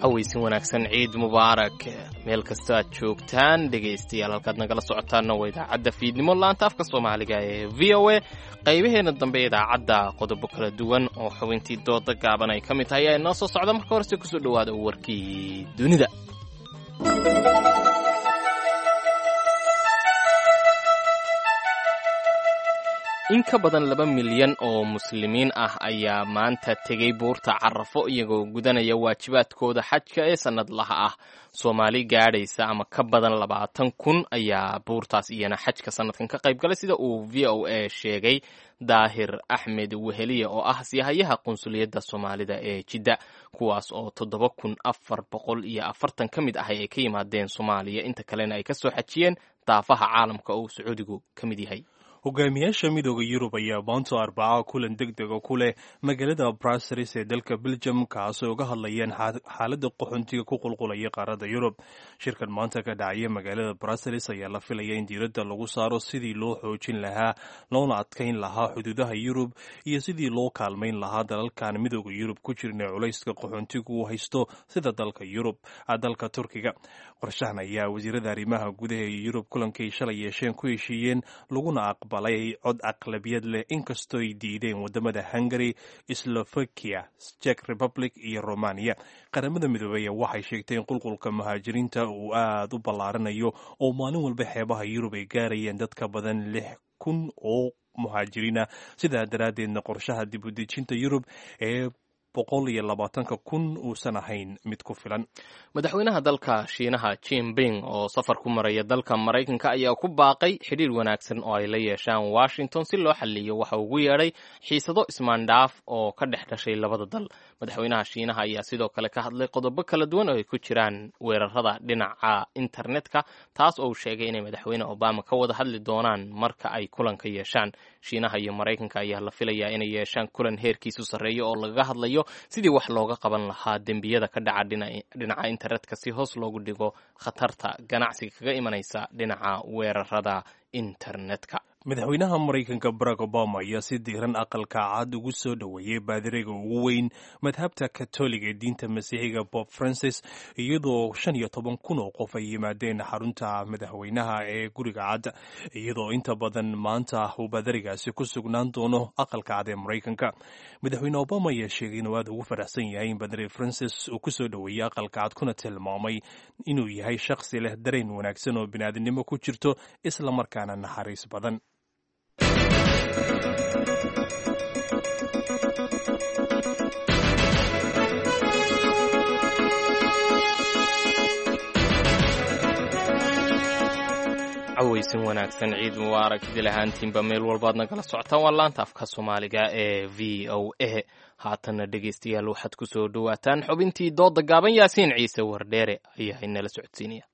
Aweysin wanaagsan, ciid mubaarak meel kasta aad joogtaan dhegaystayaal. Halkaad nagala socotaanna waa idaacadda fiidnimo laanta afka Soomaaliga ee V O A. Qaybaheena dambe idaacadda qodobo kala duwan oo xubintii dooda gaaban ay ka mid tahay ayaa inoo soo socda. Marka horese kusoo dhowaada warkii dunida. In ka badan laba milyan oo muslimiin ah ayaa maanta tegey buurta Carafo, iyagoo gudanaya waajibaadkooda xajka ee sannadlaha ah. Soomaali gaadhaysa ama ka badan labaatan kun ayaa buurtaas iyana xajka sannadkan ka qayb galay, sida uu V O A sheegay Daahir Axmed Weheliye oo ah siyahayaha qunsuliyadda Soomaalida ee Jidda, kuwaas oo toddoba kun afar boqol iyo afartan ka mid ahay ay ka yimaadeen Soomaaliya, inta kalena ay ka soo xajiyeen daafaha caalamka oo uu Sacuudigu ka mid yahay. Hogaamiyaasha Midooda Yurub ayaa maanta Arbaca kulan deg dega ku leh magaalada Brussels ee dalka Belgium, kaasoo uga hadlayaan xaaladda qaxoontiga ku qulqulaya qaaradda Yurub. Shirkan maanta ka dhacaya magaalada Brussels ayaa la filaya in diiradda lagu saaro sidii loo xoojin lahaa loona adkayn lahaa xuduudaha Yurub iyo sidii loo kaalmayn lahaa dalalkan Midooda Yurub ku jirin ee culayska qaxoontigu uu haysto, sida dalka Yurub, dalka Turkiga. Qorshahan ayaa wasiirada arrimaha gudaha ee Yurub kulankay shalay yeesheen ku heshiiyeen, laguna aqbalay cod aqlabiyad leh, inkastoo ay diideen wadamada Hungary, Slovakia, Czech Republic iyo Romania. Qaramada Midoobey waxay sheegtay in qulqulka muhaajiriinta uu aada u ballaaranayo oo maalin walba xeebaha Yurub ay gaarayeen dad ka badan lix kun oo muhaajiriina, sidaa daraaddeedna qorshaha dib u dejinta Yurub ee boqol iyo labaatanka kun uusan ahayn mid ku filan. Madaxweynaha dalka Shiinaha Jinping oo safar ku maraya dalka Maraykanka ayaa ku baaqay xidhiir wanaagsan oo ay la yeeshaan Washington si loo xaliyo waxa ugu yeedhay xiisado ismaandhaaf oo ka dhex dhashay labada dal. Madaxweynaha Shiinaha ayaa sidoo kale ka hadlay qodobo kala duwan oo ay ku jiraan weerarada dhinaca internetka, taas oo uu sheegay inay Madaxweyne Obama ka wada hadli doonaan marka ay kulanka yeeshaan. Shiinaha iyo Maraykanka ayaa la filayaa inay yeeshaan kulan heerkiisu sarreeyo oo lagaga hadlayo sidii wax looga qaban lahaa dembiyada ka dhaca dhinaca internetka, si hoos loogu dhigo khatarta ganacsiga kaga imanaysa dhinaca weerarada internetka. Madaxweynaha Maraykanka Barack Obama ayaa si diiran Aqalka Cad ugu soo dhoweeyey baadiriga ugu weyn madhabta Katoliga ee diinta Masiixiga, Pope Francis, iyadoo shan iyo toban kun oo qof ay yimaadeen xarunta madaxweynaha ee Guriga Cad, iyadoo inta badan maanta uu baadirigaasi ku sugnaan doono Aqalka Cad ee Maraykanka. Madaxweyne Obama ayaa sheegay inuu aad ugu faraxsan yahay in baadiri Francis uu ku soo dhoweeyey Aqalka Cad, kuna tilmaamay inuu yahay shakhsi leh dareen wanaagsan oo bini'aadinimo ku jirto, islamarkaana naxariis badan. Cawaysin wanaagsan, ciid mubaarak idil ahaantiinba meel walbaad nagala socotaan. Waa laanta afka Soomaaliga ee V O A. Haatanna dhegaystayaal, waxaad ku soo dhowaataan xubintii dooda gaaban. Yaasiin Ciise Wardheere ayaa inala socodsiinaya.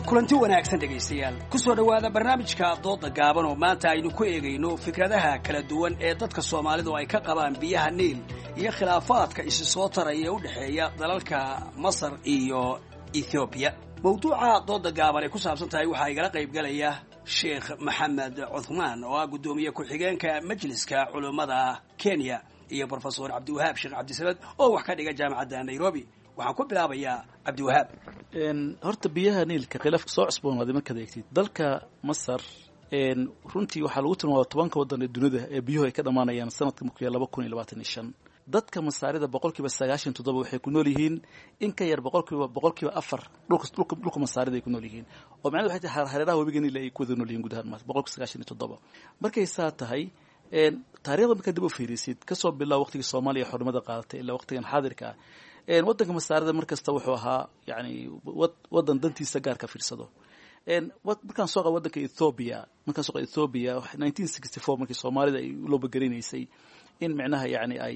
Kulanti wanaagsan dhegaystayaal, ku soo dhowaada barnaamijka dooda gaaban oo maanta aynu ku eegayno fikradaha kala duwan ee dadka Soomaalidu ay ka qabaan biyaha Niil iyo khilaafaadka isi soo taraya ee u dhexeeya dalalka Masar iyo Ethoobiya. Mawduuca dooda gaaban ay ku saabsan tahay waxaa igala qaybgalaya Sheekh Maxamed Cuthmaan oo ah guddoomiye ku-xigeenka Majliska Culummada Kenya, iyo Brofesor Cabdiwahaab Sheekh Cabdisamad oo wax ka dhiga Jaamacadda Nairobi. Waxaan ku bilaabayaa Cabdiwahaab. Horta biyaha Niilka khilaafka soo cusboonaaday markaad eegtid dalka Masar, runtii waxaa lagu tilmaama tobanka waddan ee dunida ee biyuhu ay ka dhammaanayaan sanadka markuu yahay laba kun iyo labaatan iyo shan. Dadka Masaarida boqolkiiba sagaashan toddoba waxay ku nool yihiin in ka yar boqolkiiba boqolkiiba afar dhulka dhulka dhulka Masaarida ay ku nool yihiin, oo macnahedu waxay tahay hareeraha webiga Niil ay ku wada nool yihiin guud ahaan boqolkiiba sagaashan iyo toddoba. Markay saa tahay, taariikhda markaad dib u fiirisid, kasoo bilaabo waqtigii Soomaaliya xornimada qaadatay ilaa waqtigan xaadirka ah, waddanka Masaarida mar kasta wuxuu ahaa yani waddan dantiisa gaar ka fiirsado. Markaan soo qabo waddanka Ethiopia, markaan soo qabo Ethiopia nineteen sixty four markii Soomaalida ay u loobagarinaysay in micnaha yani ay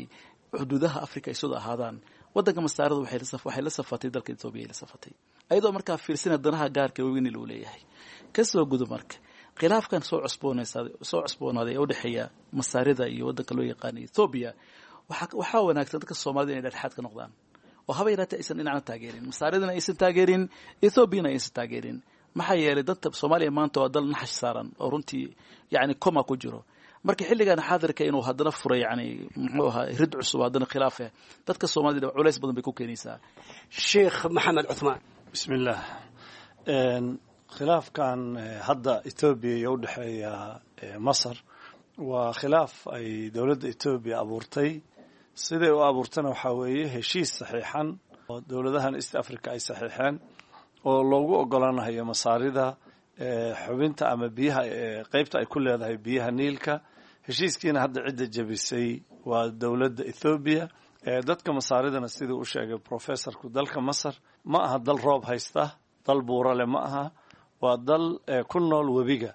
xuduudaha Africa ay soo ahaadaan, waddanka Masaarida waxay la waxay la safatay dalka Ethiopia ay la safatay, ayadoo markaa fiirsana danaha gaarka webiga Niil uu leeyahay. Kasoo gudo marka Khilaafkan soo cusboonaysa soo cusboonaaday ee u dhexeeya Masaarida iyo waddanka loo yaqaano Ethiopia, waxaa waxaa wanaagsan dadka Soomaalida inay dhexdhexaad ka noqdaan oo haba yaraatee aysan dhinacna taageerin, Masaaridana aysan taageerin, Ethiopiana aysan taageerin. Maxaa yeelay dadka Soomaaliya maanta waa dal naxash saaran oo runtii yacni coma ku jiro. Marka xilligan xaadirka inuu haddana furay yani muxuu ahaa rid cusub haddana khilaaf eh dadka Soomaalida culays badan bay ku keenaysaa. Sheekh Maxamed Cuthmaan. Bismillaah. Khilaafkan hadda Etoobiya iyo u dhexeeya Masar waa khilaaf ay dowladda Etoobiya abuurtay. Siday u abuurtana waxaa weeye heshiis saxiixan oo dowladahan East Africa ay saxiixeen oo loogu ogolaanayo Masaarida xubinta ama biyaha qeybta ay ku leedahay biyaha Niilka. Heshiiskiina hadda cidda jebisay waa dowladda Ethoobiya. Dadka Masaaridana siduu u sheegay professorku, dalka Masar ma aha dal roob haysta, dal buurale ma aha, waa dal ku nool webiga.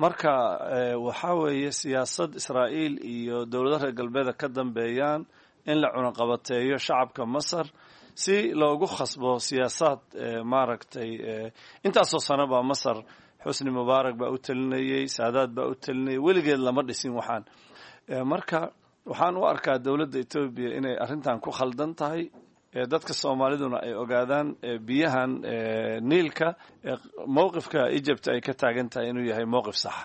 Marka waxaa weeye siyaasad Israa'iil iyo dowladaha reer galbeeda ka dambeeyaan in la cunaqabateeyo shacabka Masar si loogu khasbo siyaasaad maaragtay. Intaasoo sano baa Masar Xusni Mubaarak baa u talinayey, Saadaad baa u talinayay, weligeed lama dhisin waxaan. Marka waxaan u arkaa dowladda Etoobiya inay arrintan ku khaldan tahay, dadka Soomaaliduna ay ogaadaan biyahan Niilka mowqifka Egypt ay ka taagan tahay inuu yahay mowqif saxa.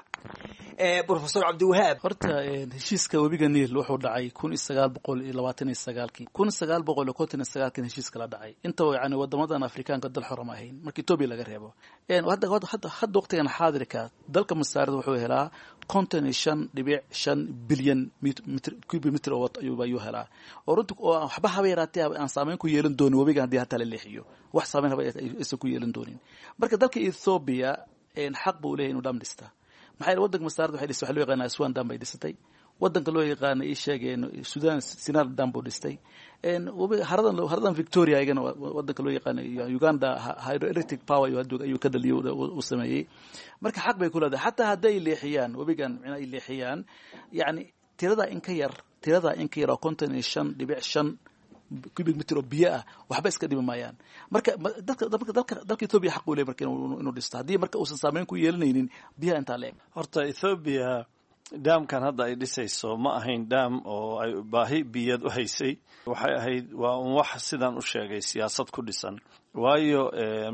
Professor Cabdiwahaab. Horta heshiiska webiga Niil wuxuu dhacay kun iyo sagaal boqol iyo labaatan iyo sagaalkii, kun sagaal boqol iyo konton iyo sagaalkii heshiiska la dhacay. Inta yani wadamadan Afrikaanka dal xor ma ahayn marka Etoobiya laga reebo. Hadda hadda hadda waqtigan xaadirka dalka Masaarida wuxuu helaa konton iyo shan dhibic shan bilyan mitr cubic mitr oo ayuu ayuu helaa, oo runtii oo waxba haba yaraatee aan saameyn ku yeelan doonin webiga haddii hataa la leexiyo, wax saameyn haba aysan ku yeelan doonin. Marka dalka Ethiopia xaq buu leeyahay inuu dham dhistaa. Maxaa yeelay waddanka Masaarida waxay dhistay waxa loo yaqaana Aswan Dam bay dhisatay, waddanka loo yaqaana ii sheegeen Sudan Sinar Dam buu dhistay, haradan haradan Victoria ayagana waddanka loo yaqaana Uganda hydroelectric power ayuu ayuu ka dhaliyay uu sameeyey. Marka xaq bay ku leedahay xataa hadday leexiyaan webigan, micnaha ay leexiyaan yacni tirada in ka yar tirada in ka yar oo konton iyo shan dhibic shan cubic meter oo biyo ah waxba iska dhimi maayaan. Marka dadka dalka dalka Ethiopia xaq u leeyahay marka inuu dhisto haddii marka uusan saameyn ku yeelanaynin biyaha intaa leeg. Horta Ethiopia daamkan hadda ay dhisayso ma ahayn daam oo ay baahi biyad u haysay, waxay ahayd waa un wax sidaan u sheegay siyaasad ku dhisan. Waayo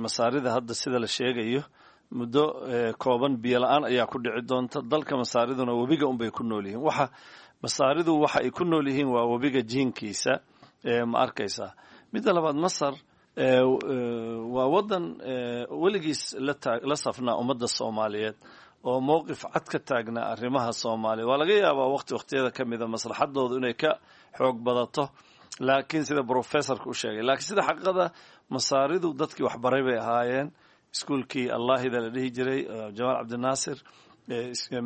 Masaarida hadda sida la sheegayo muddo kooban biyo la-aan ayaa ku dhici doonta dalka. Masaariduna webiga unbay ku nool yihiin. Waxa Masaaridu waxa ay ku nool yihiin waa webiga jiinkiisa, ma arkaysaa. Midda labaad, Masar waa waddan weligiis la safnaa ummadda Soomaaliyeed oo mowqif cad ka taagnaa arrimaha Soomaaliya. Waa laga yaabaa waqti waqtiyada ka mida maslaxadoodu inay ka xoog badato, laakiin sida professorka u sheegay, laakiin sida xaqiiqada Masaaridu dadkii waxbaray bay ahaayeen. Iskuulkii Allaahida la dhihi jiray Jamaal Cabdinaasir,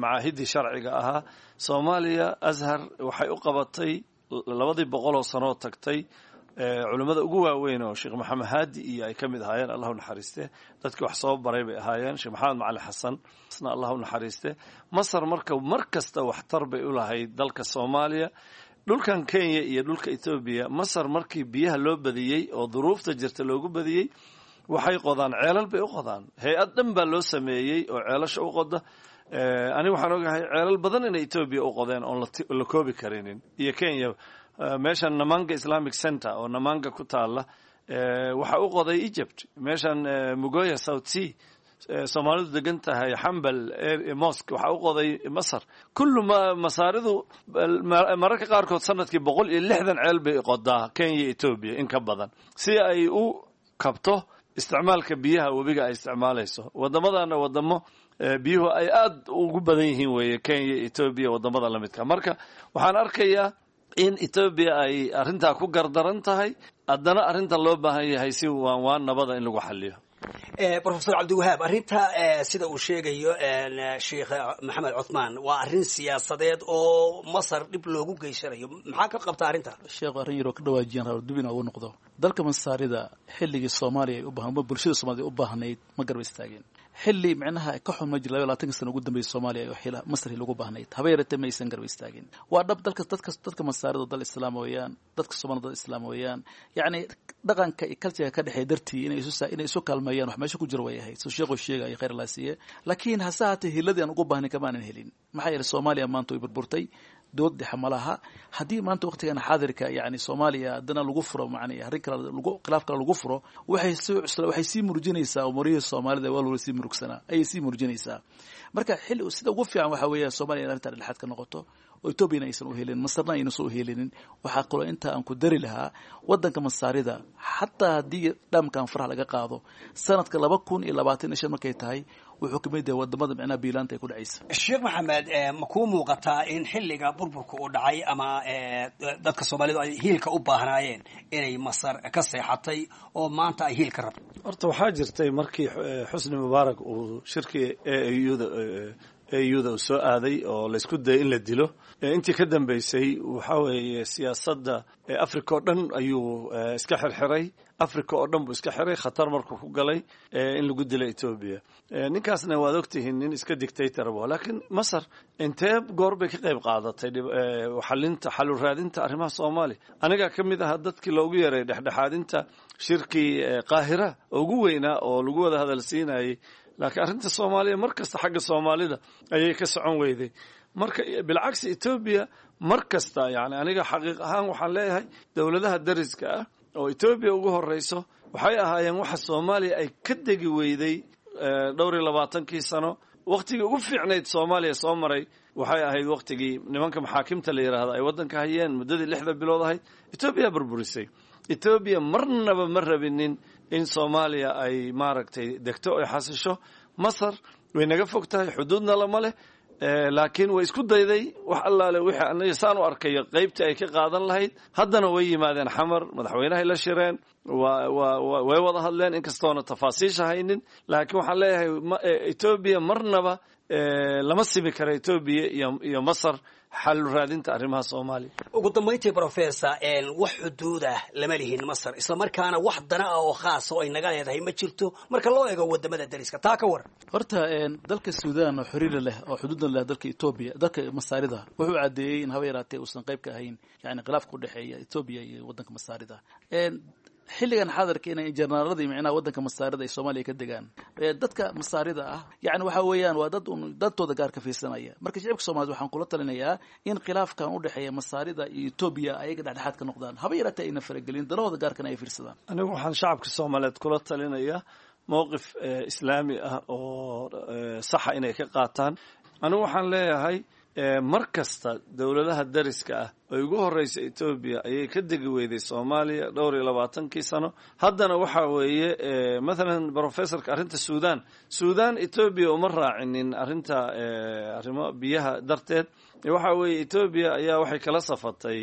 macaahidii sharciga ahaa Soomaaliya, Azhar waxay u qabatay labadii boqol oo sanoo tagtay culimmada ugu waaweyn oo Sheekh Maxamed Haadi iyo ay ka mid ahaayeen, Allah u naxariiste, dadkii wax soo baray bay ahaayeen. Sheekh Maxamed Macali Xasan isna Allah u naxariiste. Masar marka mar kasta waxtar bay u lahayd dalka Soomaaliya. Dhulkan Kenya iyo dhulka Etoobiya, Masar markii biyaha loo badiyey oo duruufta jirta loogu badiyey, waxay qodaan ceelal bay u qodaan. Hay-ad dhan baa loo sameeyey oo ceelasha u qoda. Ani waxaan ogahay ceelal badan inay Etoobiya u qodeen oon la koobi karinin, iyo Kenya. Meeshan Namanga Islamic Center oo Namanga ku taala waxa u qoday Egypt. Meeshan Mugoya South Sea Soomaalidu degan tahay, Xambal Mosque, waxa u qoday Masar. Kullu Masaaridu mararka qaarkood sanadkii boqol iyo lixdan ceel bay qodaa Kenya, Etoobiya in ka badan, si ay u kabto isticmaalka biyaha webiga ay isticmaalayso. Waddamadana wadamo biyuhu ay aada ugu badan yihiin weeye, Kenya, Etoobiya, wadamada lamidka. Marka waxaan arkayaa in Etoobiya ay arrintaa ku gardaran tahay, haddana arrintan loo baahan yahay si waan waan nabada in lagu xaliyo. Professor Cabdiwahaab, arrinta sida uu sheegayo Sheekh Maxamed Cuthmaan waa arrin siyaasadeed oo Masar dhib loogu geysanayo, maxaa ka qabta arrinta? Sheekh arrin yaroo ka dhawaajiyaan rabo dib inaa ugu noqdo. Dalka Masaarida xilligii Soomaaliya ay u baahan, bulshada Soomaalida ay u baahnayd ma garba istaageen. Xilli micnaha ka xun ma jiro laba labaatanka sano ugu dambeysay Soomaaliya oo xila Masar lagu baahnayd, haba yaratee ma aysan garab istaagin. Waa dhab, dalka dadka dadka Masaarida dal islaam weeyaan, dadka Soomaalida dal islaam weeyaan. Yacni dhaqanka iyo culture ka dhexeeya dartii inay isu inay isu kaalmeeyaan wax meesha ku jira way ahayd. Soo sheekhu sheegaya khayr Allah siiye, laakiin hase haatee hiladii aan ugu baahnay kama aanan helin. Maxaa yeelay Soomaaliya maanta way burburtay, dood dhexe ma laha. Haddii maanta waqtigan xaadirka yani Soomaaliya haddana lagu furo macnii arrin kale lagu khilaaf kale lagu furo, waxay sii cusla waxay sii murjinaysaa umurihii Soomaalida waa loola sii murugsanaa ayay sii murjinaysaa. Marka xilli sida ugu fiican waxaa weeye Soomaaliya in arrintan dhexaad ka noqoto oo Etoobiyana aysan u helin, Masarna ayna soo helinin. Waxaa kaloo inta aan ku dari lahaa waddanka Masaarida, xataa haddii dhamkan faraha laga qaado sanadka laba kun iyo labaatan iyo shan markay tahay, wuxuu ka mid yahay wadamada micnaha biilaanta ay ku dhacaysa. Sheekh Maxamed, ma kuu muuqataa in xilliga burburka uu dhacay ama dadka Soomaalidu ay hiilka u baahnaayeen inay Masar ka seexatay oo maanta ay hiilka rabto? Horta waxaa jirtay markii Xusni Mubaarak uu shirkii A U-da A U-da uu soo aaday oo laysku dayay in la dilo, intii ka dambeysay waxaa weeye siyaasadda Africa oo dhan ayuu iska xirxiray. Africa oo dhan buu iska xiray, khatar markuu ku galay in lagu dilo Etoobiya. Ninkaasna waad ogtihiin, nin iska dictator bu. Laakiin Masar intee goor bay ka qayb qaadatay xalinta, xalu raadinta arrimaha Soomaaliya? Anigaa ka mid ahaa dadkii loogu yeeray dhexdhexaadinta shirkii Qaahira ugu weynaa oo lagu wada hadal siinayay, laakiin arrinta Soomaaliya mar kasta xagga Soomaalida ayay ka socon weyday. Marka bilcagsi Etoobiya mar kasta, yani aniga xaqiiq ahaan waxaan leeyahay dowladaha dariska ah oo Etoobiya ugu horeyso waxay ahaayeen waxa Soomaaliya ay ka degi weyday dhowr iyo labaatankii sano. Waqtigii ugu fiicnayd Soomaaliya soo maray waxay ahayd waqtigii nimanka maxaakimta la yidhaahdo ay waddanka hayeen, muddadii lixda bilood ahayd. Etoobiya burburisay. Etoobiya marnaba ma rabinin in Soomaaliya ay maaragtay degto oy xasisho. Masar way naga fog tahay, xuduudna lama leh, laakiin way isku dayday wax allaale wixii aniga saan u arkayo qaybtii ay ka qaadan lahayd. Haddana way yimaadeen Xamar, madaxweynahay la shireen, waa waa way wada hadleen, inkastoona tafaasiisha haynin. Laakiin waxaan leeyahay Etoobiya marnaba lama simi kara Etoobiya iyo iyo Masar xal raadinta arrimaha Soomaaliya. Ugu dambayntii, professor, wax xuduud ah lama lihin Masar, isla markaana wax dana ah oo khaas oo ay naga leedahay ma jirto marka loo eego wadamada dariska. Taa ka waran? Horta dalka Suudaan oo xiriir leh oo xuduudna leh dalka Etoobiya, dalka Masaarida wuxuu caddeeyey in haba yaraatee uusan qayb ka ahayn yani khilaafka u dhexeeya Etoobiya iyo waddanka Masaarida. Xilligan xaadirka inay jenaraaladii micnaha waddanka Masaarida ay Soomaaliya ka degaan, dadka Masaarida ah yani waxa weeyaan waa dad un dadtooda gaar ka fiirsanaya. Marka shicibka Soomaaliyed waxaan kula talinayaa in khilaafkan u dhexeeya Masaarida iyo Etoobiya ayaga dhexdhexaad ka noqdaan, haba yaraatee ayna faragelin, danahooda gaarkana ay fiirsadaan. Anigu waxaan shacabka Soomaaliyeed kula talinayaa mowqif islaami ah oo saxa inay ka qaataan. Anigu waxaan leeyahay mar kasta dowladaha dariska ah oo ugu horeysa Etoobiya ayay ka degi weyday Soomaaliya dhowr iyo labaatankii sano. Haddana waxa weeye mathalan professorka arrinta Suudaan, Suudaan Etoobiya uma raacinin arrinta arrimo biyaha darteed. Waxa weeye Etoobiya ayaa waxay kala safatay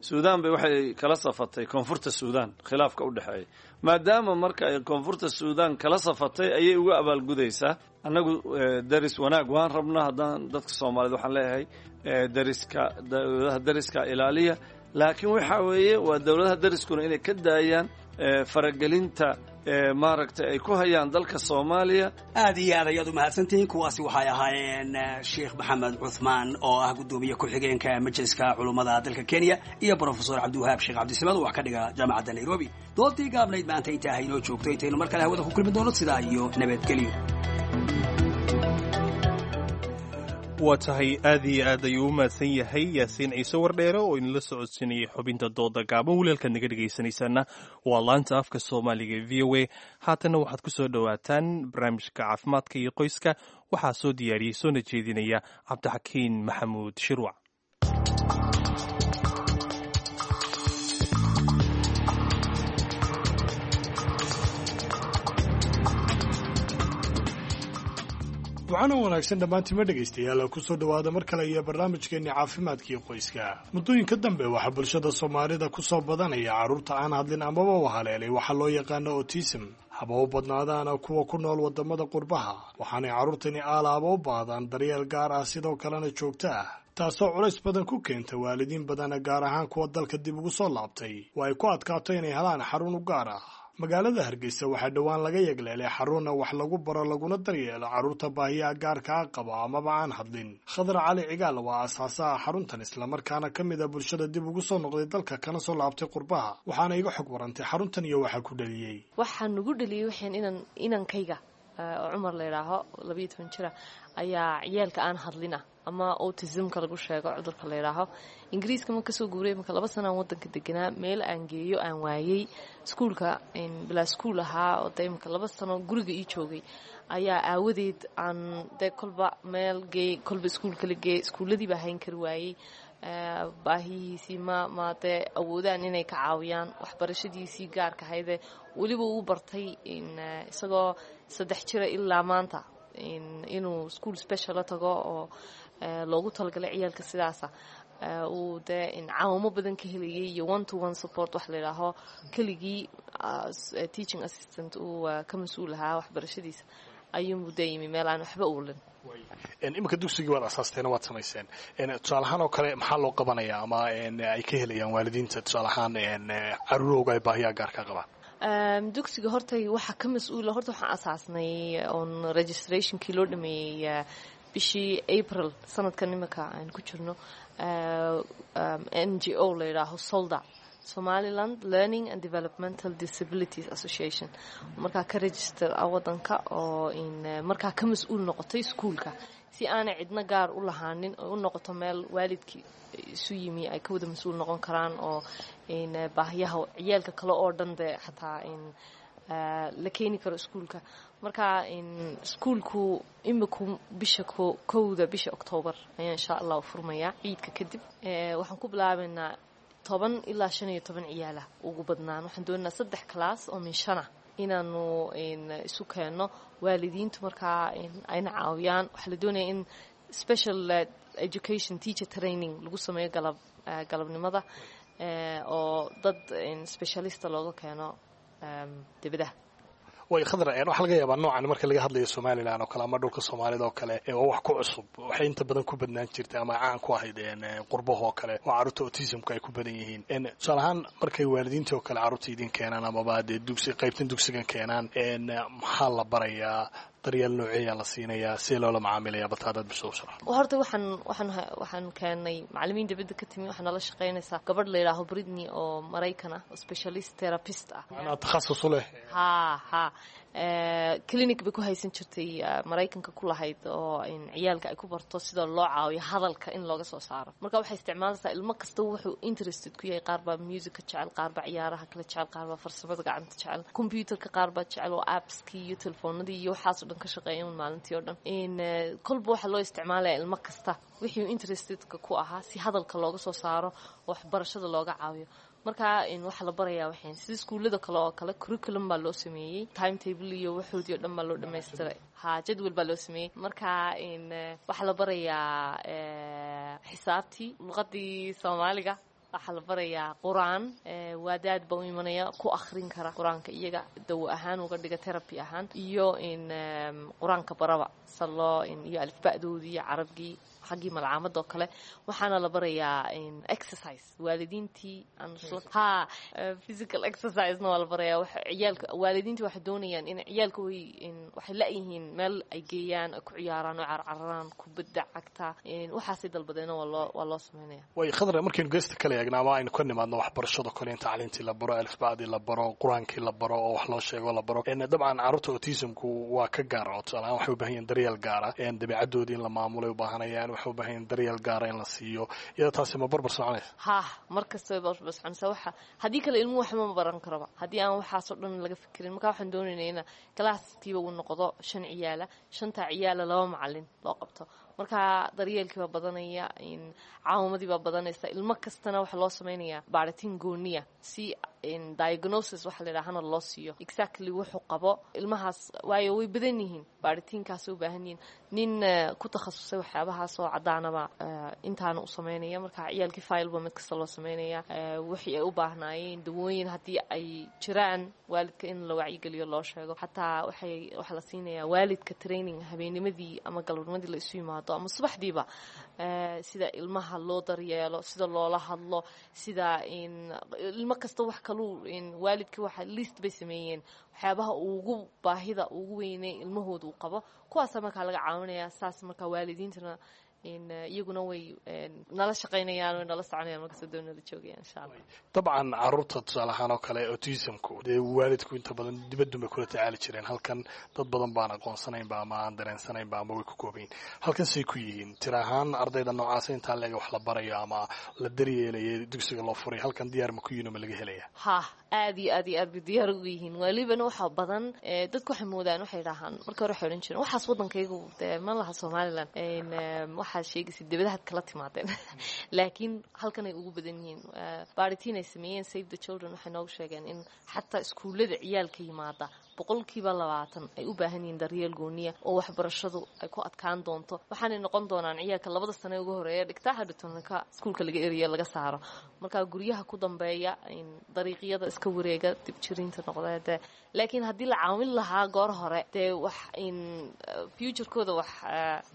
Suudaan bay waxay kala safatay koonfurta Suudaan khilaafka u dhexeeya. Maadaama marka ay koonfurta Suudaan kala safatay ayay uga abaalgudaysaa. Annagu daris wanaag waan rabnaa. Haddaan dadka Soomaaliyeed waxaan leeyahay dariska, dowladaha dariska ilaaliya, laakiin waxa weeye waa dowladaha dariskuna inay ka daayaan faragelinta maaragtay ay ku hayaan dalka Soomaaliya. Aad iyo aad ayaad u mahadsantihiin. Kuwaasi waxay ahaayeen Sheekh Maxamed Cuthmaan oo ah guddoomiye ku-xigeenka majliska culummada dalka Kenya iyo brofesor Cabdiwahaab Sheekh Cabdisamad oo wax ka dhiga jaamacadda Nairobi. Doodii gaabnayd maanta intaa haynoo joogto. Intaynu mar kale hawada ku kulmi doono, sidaa iyo nabadgelyo. Waa tahay, aad iyo aad ayuu u mahadsan yahay Yaasiin Ciise Wardheere oo inala socodsiinayay xubinta dooda gaaban. Walaalkaad naga dhegaysanaysaana waa laanta afka Soomaaliga e V O A. Haatanna waxaad ku soo dhowaataan barnaamijka caafimaadka iyo qoyska. Waxaa soo diyaariyey soona jeedinaya Cabdixakiin Maxamuud Shirwac. Ducana wanaagsan dhammaantima dhegaystayaal, kusoo dhowaada mar kale iyo barnaamijkeenni caafimaadkii qoyska. Muddooyinka dambe waxaa bulshada Soomaalida ku soo badanaya carruurta aan hadlin amaba u haleelay waxaa loo yaqaano autism, haba u badnaadaana kuwa ku nool waddamada qurbaha. Waxaanay carruurtani aalaaba u baahdaan daryeel gaar ah, sidoo kalena joogto ah, taasoo culays badan ku keenta waalidiin badana, gaar ahaan kuwa dalka dib ugu soo laabtay oo ay ku adkaato inay helaan xarun u gaar ah. Magaalada Hargeysa waxaa dhowaan laga yagleelay xarunna wax lagu baro laguna daryeelo carruurta baahiyaha gaarka ah qaba amaba aan hadlin. Khadar Cali Cigaal waa aasaasaha xaruntan, islamarkaana ka mid a bulshada dib ugu soo noqday dalka kana soo laabtay qurbaha, waxaana iga xog warantay xaruntan iyo waxaa ku dhaliyey. Waxaa nugu dhaliyey waxaan inan inankayga oo Cumar la yidhaaho, labayo toban jira, ayaa ciyaalka aan hadlina ama autismka lagu sheego, cudurka la yidhaaho. Ingiriiska ma kasoo guuray marka laba sanaan wadanka deganaa, meel aan geeyo aan waayey, iskuulka bilaa iskuul ahaa oo dee imika laba sano guriga ii joogay ayaa aawadeed aan dee kolba meel geey, kolba iskuulka la geey, iskuulladii baa hayn kari waayey. Baahihiisii ma ma dee awoodaan inay ka caawiyaan waxbarashadiisii gaarka ahaydee weliba uu bartay isagoo saddex jira ilaa maanta inuu school special la tago oo loogu talagalay ciyaalka sidaasa, uu dee caawimo badan ka helayay iyo one to one support wax la yidhaaho, keligii teaching assistant uu ka mas-uul ahaa waxbarashadiisa, ayuunbuu dee yimi meel aan waxba uulin. Iminka dugsigii waad asaasteena, waad samayseen. Tusaale ahaan oo kale, maxaa loo qabanayaa ama ay ka helayaan waalidiinta, tusaale ahaan, caruurowga ay baahiyaha gaarka qabaan? Dugsiga horta waxaa ka mas-uula, horta waxaan asaasnay on registrationkii loo dhameeyey bishii April sanadkan imika aan ku jirno, N G O la yidhaaho SOLDA, Somaliland Learning and Developmental Disabilities Association, markaa ka register ah wadanka oo markaa ka mas-uul noqotay iskuulka, si aanay cidno gaar u lahaanin oo u noqoto meel waalidkii isu yimi ay ka wada mas-uul noqon karaan, oo baahiyaha ciyaalka kale oo dhan dee xataa la keeni karo iskuulka. Marka iskuulku imiku bisha kowda bisha Octoobar ayaa insha Allah furmayaa, ciidka kadib. Waxaan ku bilaabaynaa toban ilaa shan iyo toban ciyaala ugu badnaan. Waxaan doonaynaa saddex class oo min shana inaanu isu keenno, waalidiintu markaa ayna caawiyaan. Waxaa la doonaya in special education teacher training lagu sameeyo galab galabnimada oo dad specialista looga keeno dibadaha. Way Khadra, waxaa laga yaabaa noocan marka laga hadlayo Somaliland oo kale ama dhulka Soomaalida oo kale waa wax ku cusub. Waxay inta badan ku badnaan jirtay ama caan ku ahayd qurbaha oo kale oo carruurta autismka ay ku badan yihiin. Tusaale ahaan, markay waalidiinta oo kale carruurta idin keenaan amaba dee dugsi qaybtan dugsigan keenaan, maxaa la barayaa? Daryeel nooceeyaa la siinayaa? See loola macaamilaya? Balta hadaad bisoo sharax. Horta waxaan waxaan waxaan keenay macallimiin dibadda ka timi. Waxaa nala shaqaynaysaa gabadh la yidhaaho Britney oo Maraykan ah oo specialist therapist ah. Macnaha takhasus u leh. Ha ha, clinic bay ku haysan jirtay Maraykanka ku lahayd oo ciyaalka ay ku barto sida loo caawiyo hadalka in looga soo saaro. Marka waxay isticmaalaysaa ilmo kasta wuxuu interested ku yahay. Qaar baa music ka jecel, qaar baa ciyaaraha kala jecel, qaar baa farsamada gacanta jecel, computerka qaar baa jecel oo appskii iyo telefoonadii iyo waxaas oo dhan ka shaqeeya maalintii oo dhan. Kolba waxaa loo isticmaalaya ilmo kasta wixii interestedka ku ahaa si hadalka looga soo saaro oo waxbarashada looga caawiyo. Marka waxaa la barayaa waxayn sida iskuullada kale oo kale, curriculum baa loo sameeyey, timetable iyo waxoodii o dhan baa loo dhamaystiray, ha, jadwal baa loo sameeyey. Marka waxaa la barayaa xisaabtii, luqadii Soomaaliga, waxaa la barayaa qur-aan. Waadaad baa u imanaya ku akhrin kara qur-aanka, iyaga dawo ahaan uga dhiga, therapy ahaan, iyo in qur-aanka baraba salo iyo alifba'doodii iyo carabgii xaggii malcaamadda oo kale. Waxaana la barayaa exercise waalidiintii, ha, physical exercisena waa la barayaa ciyaalka. Waalidiintii waxay doonayaan in ciyaalka way waxay la-yihiin meel ay geeyaan, ay ku ciyaaraan oo carcararaan kubadda cagta, waxaasay dalbadeena waa loo waa loo sameynaya. Way Khadra, markaynu geesta kale eegna ama aynu ka nimaadno waxbarashada kale, in tacliintii la baro, alifbacdii la baro, qur-aankii la baro oo wax loo sheego la baro, dabcan carruurta autismku waa ka gaara oo tusaale ahaan waxay u baahan yihin daryeel gaara, dabeecadoodii in la maamulay u baahanayaan, waxay u baahan yihin daryeel gaara in la siiyo. Iyada taasi ma barbar soconaysa? Ha, mar kasta way barbar soconaysaa. Waxa haddii kale ilmuhu waxba ma baran karaba haddii aan waxaasoo dhan laga fikirin. Marka waxaan doonaynaa ina classkiiba uu noqdo shan ciyaala, shantaa ciyaala laba macalin loo qabto. Marka daryeelkii baa badanaya, caawimadii baa badanaysa. Ilmo kastana waxaa loo samaynayaa baaritiin gooniya si diagnosis waxa la yidhahana loo siiyo, exactly wuxuu qabo ilmahaas, waayo way badan yihiin, baaritiinkaasay u baahan yihiin. Nin ku takhasusay waxyaabahaas oo caddaanaba intaana u samaynaya. Marka ciyaalkii fileba mid kasta loo samaynaya, wixii ay u baahnaayeen, dawooyin haddii ay jiraan, waalidka in la wacyigeliyo, loo sheego. Xataa waxay waxaa la siinayaa waalidka training habeennimadii ama galabnimadii la isu yimaado ama subaxdiiba. Sida ilmaha loo daryeelo, sida loola hadlo, sida ilmo kasta wax kaluu waalidka waxa list bay sameeyeen waxyaabaha ugu baahida ugu weynay ilmahooda uu qabo, kuwaasa markaa laga caawinaya. Saas markaa waalidiintana iyaguna way nala shaqaynayaan, way nala soconayaan markasta doo nala joogayaan, insha Allah. Dabcan caruurta tusaale ahaan oo kale autismku dee waalidku inta badan dibadun bay kula tacaali jireen. Halkan dad badan baan aqoonsanaynba ama aan dareensanaynba ama way ku koobayin. Halkan say ku yihiin tira ahaan ardayda noocaasa intaa leega wax la barayo ama la daryeelaya dugsiga loo furay, halkan diyaar ma ku yihin oo ma laga helaya? Ha, aad iyo aad iyo aad bay diyaar ugu yihiin. Walibana waxaa badan dadku waxay moodaan, waxay dhahaan marka hore waxay odhan jireen waxaas waddankaygu dee ma laha Somaliland, waxaad sheegaysa dibadahaad kala timaadeen, laakiin halkan ay ugu badan yihiin. Baaritiin ay sameeyeen Save the Children waxay noogu sheegeen in xataa iskuullada ciyaalka yimaada boqolkiiba labaatan ay u baahan yihiin daryeel gooniya oo waxbarashadu ay ku adkaan doonto. Waxaanay noqon doonaan ciyaalka labada sane ugu horeeya dhigtaa hadhatonka iskuulka laga eriya laga saaro, markaa guryaha ku dambeeya, dariiqyada iska wareega, dibjiriinta noqda dee. Laakiin haddii la caawin lahaa goor hore dee wax in futurekooda wax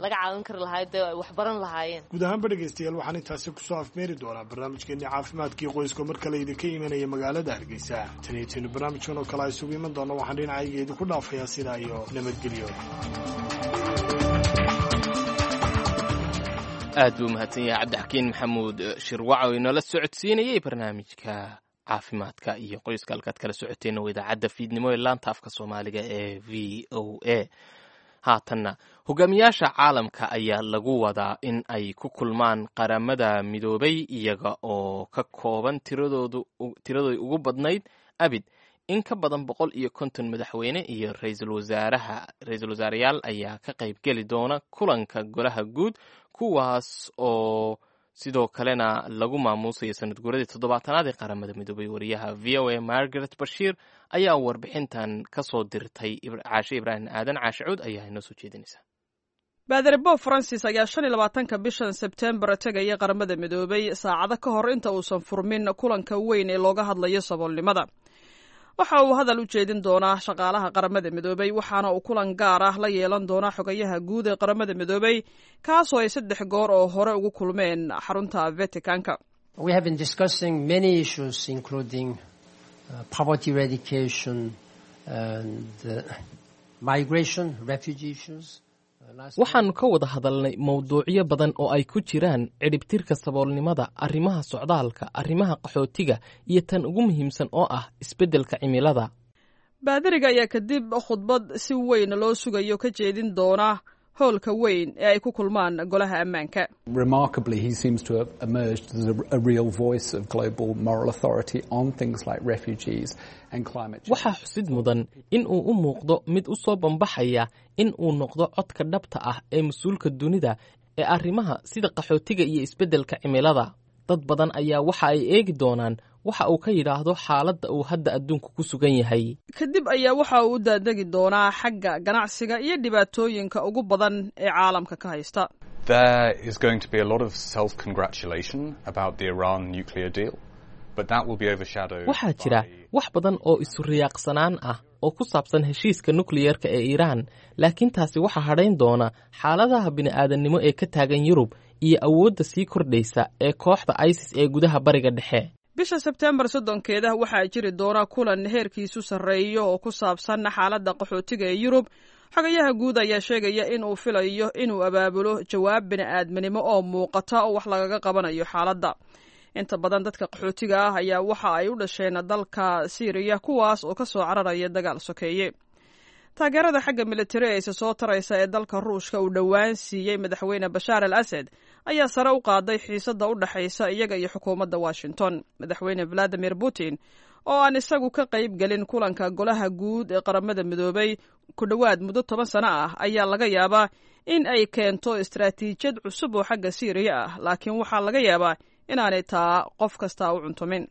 laga caawin kari lahaa dee ay wax baran lahaayeen. Guud ahaanba dhegaystayaal, waxaan intaasi kusoo afmeeri doonaa barnaamijkeenii caafimaadkii qoyska mar kale idinka imanaya magaalada Hargeysa. Tan iyo taynu barnaamijkan oo kale isugu iman doono, waxaan dhinacayga idinku dhaafayaa sidaa iyo nabadgelyo. Aad buu umahadsan yahay Cabdixakiin Maxamuud Shirwac oo inoola socodsiinayey barnaamijka caafimaadka iyo qoyska. Halkaad kala socoteen oo idaacadda fiidnimo ee laanta afka Soomaaliga ee V O A. Haatanna hogaamiyaasha caalamka ayaa lagu wadaa in ay ku kulmaan Qaramada Midoobay, iyaga oo ka kooban tiradoodu tiradooda ugu badnayd abid. In ka badan boqol iyo konton madaxweyne iyo ra'iisul wasaaraha ra-iisul wasaareyaal ayaa ka qaybgeli doona kulanka golaha guud, kuwaas oo sidoo kalena lagu maamuusayo sanad guuradii toddobaatanaad ee Qaramada Midoobay. Wariyaha V O A Margaret Bashiir ayaa warbixintan ka soo dirtay. Caashe Ibraahim Aadan Caashe Cuud ayaa inoo soo jeedinaysa. Baadari Bob Francis ayaa shan iyo labaatanka bishan Sebtembar tegaya Qaramada Midoobay saacado ka hor inta uusan furmin kulanka weyn ee looga hadlayo saboolnimada. Waxa uu hadal u jeedin doonaa shaqaalaha Qaramada Midoobay, waxaana uu kulan gaar ah la yeelan doonaa xogayaha guud ee Qaramada Midoobay, kaasoo ay saddex goor oo hore ugu kulmeen xarunta Vaticanka. We have been discussing many issues, including uh, poverty eradication and uh, migration, refugee issues. Waxaannu ka wada hadalnay mowduucyo badan oo ay ku jiraan cidhibtirka saboolnimada, arrimaha socdaalka, arrimaha qaxootiga iyo tan ugu muhiimsan oo ah isbeddelka cimilada. Baadariga ayaa kadib khudbad si weyn loo sugayo ka jeedin doona hoolka weyn ee ay ku kulmaan golaha ammaanka. Remarkably, he seems to have emerged as a, a real voice of global moral authority on things like refugees and climate change. Waxaa xusid mudan in uu u muuqdo mid u soo bambaxaya in uu noqdo codka dhabta ah ee mas-uulka dunida ee arrimaha sida qaxootiga iyo isbeddelka cimilada. Dad badan ayaa waxa ay eegi doonaan waxa uu ka yidhaahdo xaaladda uu hadda adduunku ku sugan yahay. Kadib ayaa waxa uu u daadegi doonaa xagga ganacsiga iyo dhibaatooyinka ugu badan ee caalamka ka haysta. There is going to be a lot of self-congratulation about the Iran nuclear deal, but that will be overshadowed. Waxaa jira wax badan oo isu riyaaqsanaan ah oo ku saabsan heshiiska nukliyerka ee Iiraan, laakiin taasi waxaa hadhayn doona xaaladaha bini'aadannimo ee ka taagan Yurub iyo awoodda sii kordhaysa ee kooxda ISIS ee gudaha Bariga Dhexe. Bisha Sebtembar soddonkeeda waxaa jiri doona kulan heerkiisu sarreeyo oo ku saabsan xaaladda qaxootiga ee Yurub. Xogayaha guud ayaa sheegaya in uu filayo inuu abaabulo jawaab bini'aadminimo oo muuqata oo wax lagaga qabanayo xaaladda. Inta badan dadka qaxootiga ah ayaa waxa ay u dhasheen dalka Siiriya, kuwaas oo ka soo cararaya dagaal sokeeye. Taageerada xagga militari ee isa soo taraysa ee dalka Ruushka uu dhowaan siiyey madaxweyne Bashaar al Asad ayaa sare u qaaday xiisadda u dhexaysa iyaga iyo xukuumadda Washington. Madaxweyne Valadimir Putin oo aan isagu ka qayb gelin kulanka golaha guud ee Qaramada Midoobay ku dhowaad muddo toban sano ah ayaa laga yaabaa in ay keento istaraatiijiyad cusub oo xagga Siiriya ah, laakiin waxaa laga yaabaa inaanay taa qof kastaa u cuntumin.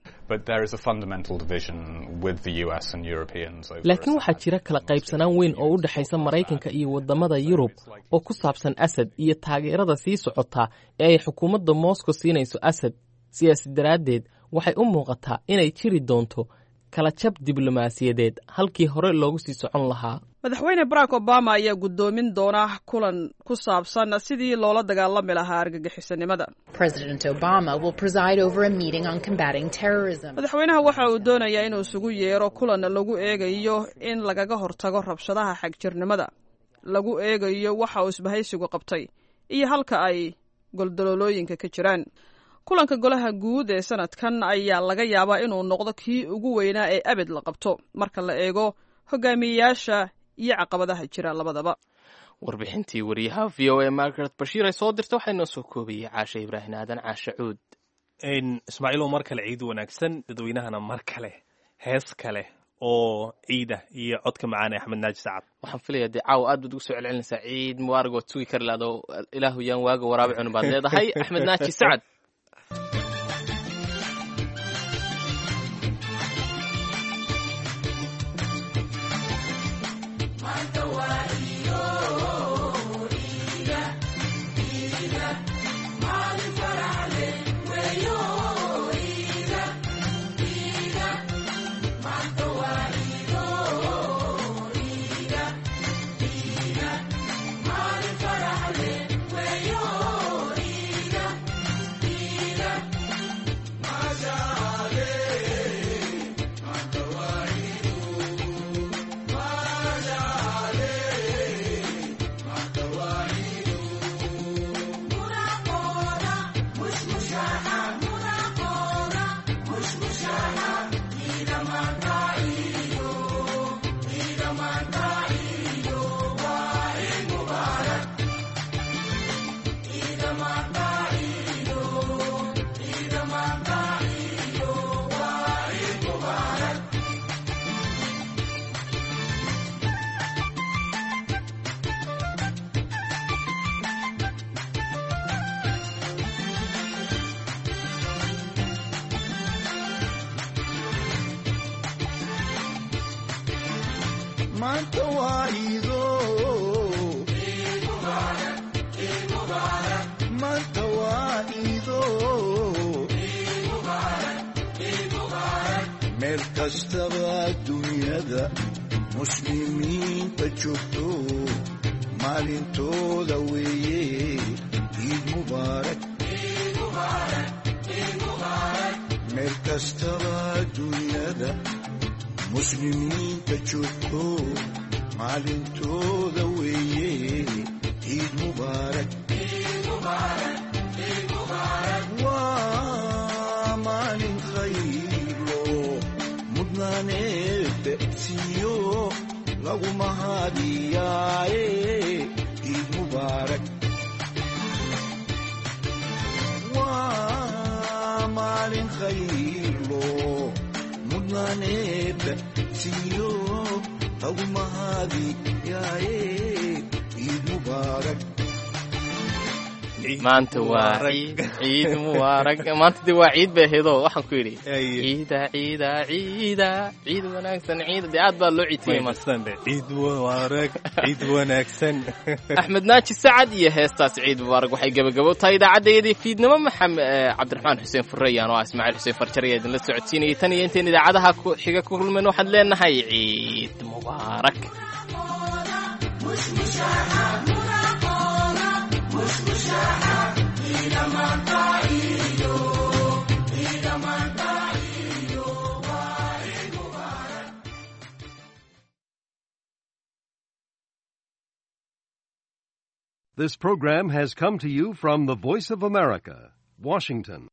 Laakiin waxaa jira kala qaybsanaan weyn oo u dhexaysa Maraykanka iyo waddamada Yurub oo ku saabsan Asad iyo taageerada sii socota ee ay xukuumadda Moscow siinayso Asad. Sidaas daraaddeed waxay u muuqataa inay jiri doonto kala jab diblomaasiyadeed halkii hore loogu sii socon lahaa. Madaxweyne Barack Obama ayaa guddoomin doona kulan ku saabsan sidii loola dagaalami lahaa argagixisanimada. Madaxweynaha waxa uu doonayaa inuu isugu yeero kulan lagu eegayo in lagaga hortago rabshadaha xagjirnimada, lagu eegayo waxa uu isbahaysigu qabtay iyo halka ay goldaloolooyinka ka jiraan. Kulanka golaha guud ee sanadkan ayaa laga yaabaa inuu noqdo kii ugu weynaa ee abid la qabto marka la eego hogaamiyeyaasha iyo caqabadaha jira labadaba. Warbixintii wariyaha V O A Margaret Bashiir ay soo dirta waxaa inoo soo koobayay Caashe Ibraahin Aadan Caashe Cuud. Ismaaciilow, mar kale ciid wanaagsan dadweynahana, mar kale hees kale oo ciida iyo codka macaan ee Axmed Naaji Sacad. Waxaan filayaa dee caawa aad baad ugu soo celcelinaysaa ciid mubaarak, waad sugi kari lahdo, ilaahu yaan waaga waraabi cunun baad leedahay. Axmed Naaji Sacad. Meel kastaba adduunyada muslimiinta joogto, maalintooda weeye ciid mubaarak. Meel kastaba adduunyada muslimiinta joogto, maalintooda weeye ciid mubaarak. Waa maalin khayro mudnaaneed siiyo lagu mahadiyaaye ciid mubaarak. Waa maalin khayro mudnaaneed siiyo lagu mahadiyaaye ciid mubaarak. Maanta waa ciid, ciid mubaarak. Maanta dee waa ciid bay ahaydoo waxaan ku yidhi ciida ciida ciida ciid wanaagsan ciida, dee aad baa loo ciidtiyey maanta. Ciid mubaarak, ciid wanaagsan. Axmed Naaji Sacad iyo heestaas ciid mubaarak waxay gabagabo tahay idaacaddayadii fiidnimo. Maxamed Cabdiraxmaan Xuseen Fureyaan oo ah Ismaaciil Xuseen Farjar ayaa idinla socodsiinayay. Tan iyo intayn idaacadaha xiga ku kulmayno waxaad leenahay ciid mubaarak. This program has come to you from the Voice of America, Washington.